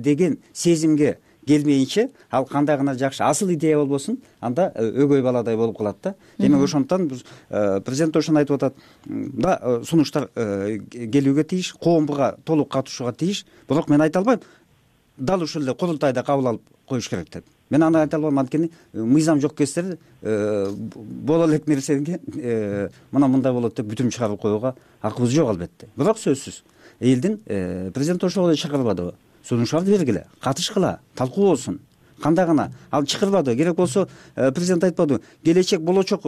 [SPEAKER 9] деген сезимге келмейинче, ал кандай гана жакшы асыл идея болбосун, анда өгөй баладай болуп калат да. Демек ошондуктан президент ошону айтып атат, да сунуштар келүүгө тийиш, коомго толук катышууга тийиш, бирок мен айта албайм, дал ушул эле курултайда кабыл алып коюш керек деп. Мен аны айта албайм, анткени мыйзам жок кездер боло элек нерсеге мына мындай болот деп бүтүм чыгарып коюуга акыбыз жок албетте. Бирок сөзсүз элдин президент ошого чакырбадыбы? Сунуштарды бергиле, катышкыла, талкуу болсун. Кандай гана ал чакырбады, керек болсо президент айтпадыбы? Келечек болочок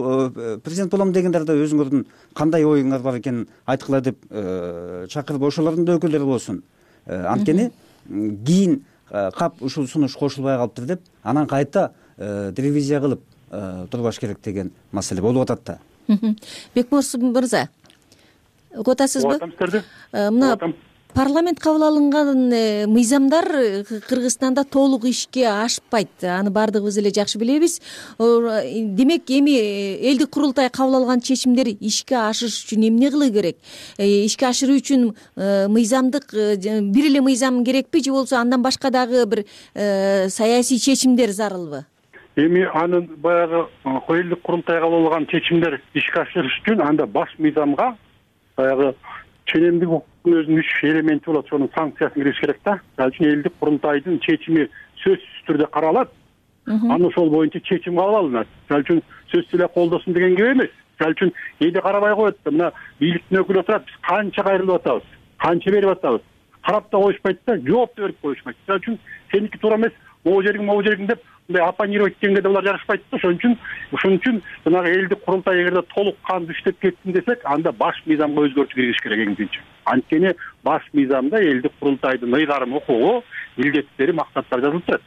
[SPEAKER 9] президент болом дегендерде өзүңөрдүн кандай оюңар бар экенин айткыла деп чакырып, ошолордун да өкүлдөрү болсун. Анткени кийин кап ушул сунуш кошулбай калыптыр деп, анан кайта ревизия кылып турбаш керек деген маселе болуп атат да.
[SPEAKER 8] Бекмурс мырза, угуп атасызбы? Мына парламент кабыл алынган мыйзамдар Кыргызстанда толук ишке ашпайт. Аны баардыгыбыз эле жакшы билебиз. Демек, эми элдик курултай кабыл алган чечимдер ишке ашыш үчүн эмне кылуу керек? Ишке ашыруу үчүн мыйзамдык бир эле мыйзам керекпи, же болбосо андан башка дагы бир саясий чечимдер зарылбы?
[SPEAKER 10] Эми анын баягы элдик курултай кабыл алган чечимдер ишке ашырыш үчүн анда баш мыйзамга баягы ченемдик укуктун өзүнүн үч элементи болот, сонун санкциясын киргизиш керек да. Ал үчүн элдик курултайдын чечими сөзсүз түрдө каралат, аны ошол боюнча чечим кабыл алынат. Ал үчүн сөзсүз эле колдосун деген кеп эмес. Ал үчүн элде карабай коет да, мына бийликтин өкүлү отурат, биз канча кайрылып атабыз, канча берип атабыз, карап да коюшпайт да, жооп да берип коюшпайт. Ал үчүн сеники туура эмес, могу жериң могу жериң деп мындай оппонировать эткенге да булар жарашпайт да. Ошон үчүн ошон үчүн жанагы элдик курултай эгерде толук кандуу иштеп кетсин десек, анда баш мыйзамга өзгөртүү киргизиш керек эң. Анткени баш мыйзамда элдик курултайдын ыйгарым укугу, милдеттери, максаттары жазылып турат.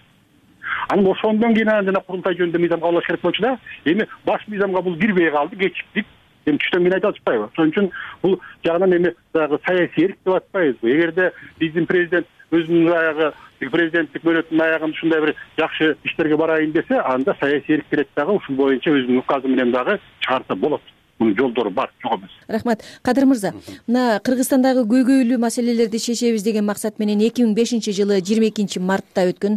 [SPEAKER 10] Анан ошондон кийин анан жана курултай жөнүндө мыйзам кабыл алыш керек болчу да. Эми баш мыйзамга бул кирбей калды, кечиктик. Эми түштөн кийин айта алышпайбы? Ошон үчүн бул жагынан эми дагы саясий эрк деп атпайбызбы? Эгерде биздин президент өзүнүн аягы президенттик мөөнөтүнүн аягында ушундай бир жакшы иштерге барайын десе, анда саясий эрк керек дагы ушул боюнча өзүнүн указы менен дагы чыгарса болот. Мунун жолдору бар, жок эмес.
[SPEAKER 8] Рахмат. Кадыр мырза, мына Кыргызстандагы көйгөйлүү маселелерди чечебиз деген максат менен эки миң бешинчи жылы жыйырма экинчи мартта өткөн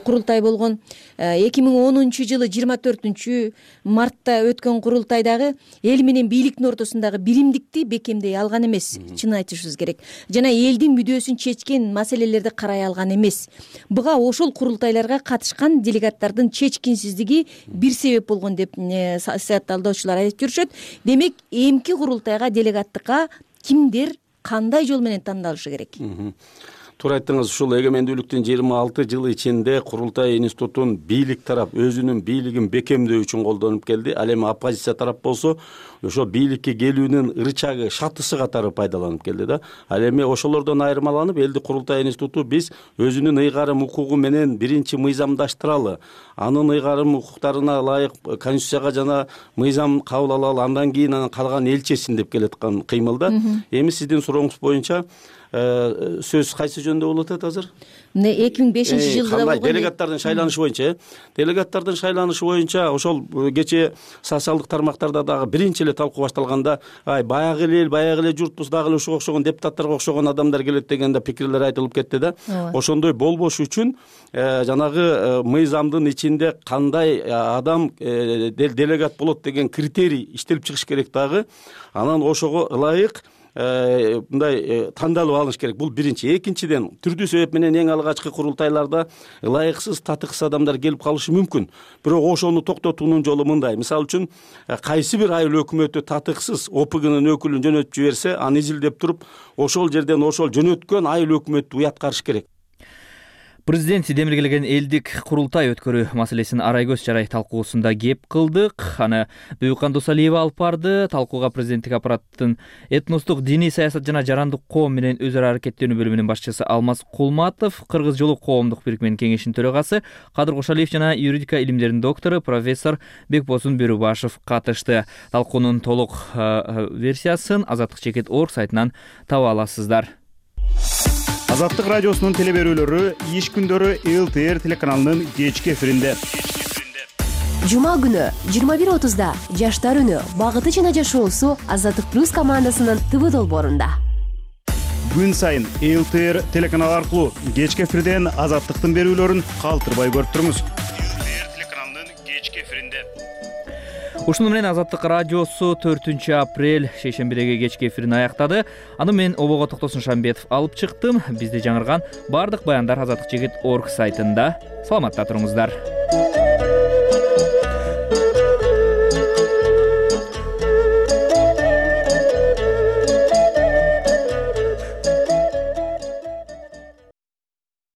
[SPEAKER 8] курултай болгон. эки миң онунчу жылы жыйырма төртүнчү мартта өткөн курултайдагы эл менен бийликтин ортосундагы биримдикти бекемдей алган эмес, чын айтышыбыз керек. Жана элдин мүдөөсүн чечкен маселелерди карай алган эмес. Буга ошол курултайларга катышкан делегаттардын чечкинсиздиги бир себеп болгон деп саясатталуучулар айтып жүрүшөт. Демек, эмки курултайга делегаттыкка кимдер кандай жол менен тандалышы керек?
[SPEAKER 11] Туура айттыңыз, ушул эгемендүүлүктүн жыйырма алты жылы ичинде курултай институтун бийлик тарап өзүнүн бийлигин бекемдөө үчүн колдонуп келди. Ал эми оппозиция тарап болсо, ошо бийликке келүүнүн рычагы, шатысы катары пайдаланып келди да. Ал эми ошолордон айырмаланып, элдик курултай институту биз өзүнүн ыйгарым укугу менен биринчи мыйзамдаштыралы, анын ыйгарым укуктарына ылайык конституцияга жана мыйзам кабыл алалы, андан кийин анан калган эл чечсин деп келаткан кыймыл да. Эми сиздин сурооңуз боюнча сөз кайсы жөндө болуп атат азыр?
[SPEAKER 8] Мына эки миң бешинчи жылда болгон
[SPEAKER 11] делегаттардын шайланышы боюнча, делегаттардын шайланышы боюнча ошол кечээ социалдык тармактарда дагы биринчи эле талкуу башталганда, ай баягы эл, баягы эле журтпуз, дагы эле ушуга окшогон депутаттарга окшогон адамдар келет дегенде пикирлер айтылып кетти да. Ошондой болбош үчүн жанагы мыйзамдын ичинде кандай адам делегат болот деген критерий иштелип чыгыш керек дагы. Анан ошого ылайык мындай тандалып алыш керек. Бул биринчи. Экинчиден, түрдүү себеп менен эң алгачкы курултайларда ылайыксыз, татыксыз адамдар келип калышы мүмкүн. Бирок ошону токтотуунун жолу мындай. Мисалы үчүн, кайсы бир айыл өкмөтү татыксыз ОПГнын өкүлүн жөнөтүп жиберсе, аны изилдеп туруп, ошол жерден ошол жөнөткөн айыл өкмөттү уяткарыш керек.
[SPEAKER 1] Президент демиргелеген элдик курултай өткөрүү маселесин арай көз чарай талкуусунда кеп кылдык. Аны Бүйүкхан Досалиева алып барды. Талкууга президенттик аппараттын этностук диний саясат жана жарандык коом менен өз ара аракеттенүү бөлүмүнүн башчысы Алмаз Кулматов, Кыргыз жолу коомдук бирикменин кеңешинин төрагасы Кадыр Кошалиев жана юридика илимдеринин доктору профессор Бекбосун Бөрүбашев катышты. Талкуунун толук версиясын Азаттык чекит точка орг сайтынан таба аласыздар.
[SPEAKER 2] Азаттык радиосунун телеберүүлөрү иш күндөрү эл тэ эр телеканалынын кечки эфиринде.
[SPEAKER 22] Жума күнү жыйырма бир отузда Жаштар үнү багыты жана жашоосу Азаттык плюс командасынын тэ вэ долбоорунда.
[SPEAKER 2] Күн сайын эл тэ эр телеканалы аркылуу кечки эфирден Азаттыктын берүүлөрүн калтырбай көрүп туруңуз. эл тэ эр телеканалынын кечки эфиринде.
[SPEAKER 1] Ушуну менен Азаттык радиосу төртүнчү апрель шейшембидеги кечки эфирин аяктады. Аны мен Обого Токтосун Шамбетов алып чыктым. Бизди жаңырган бардык баяндар Азаттык чекит точка орг сайтында. Саламатта туруңуздар.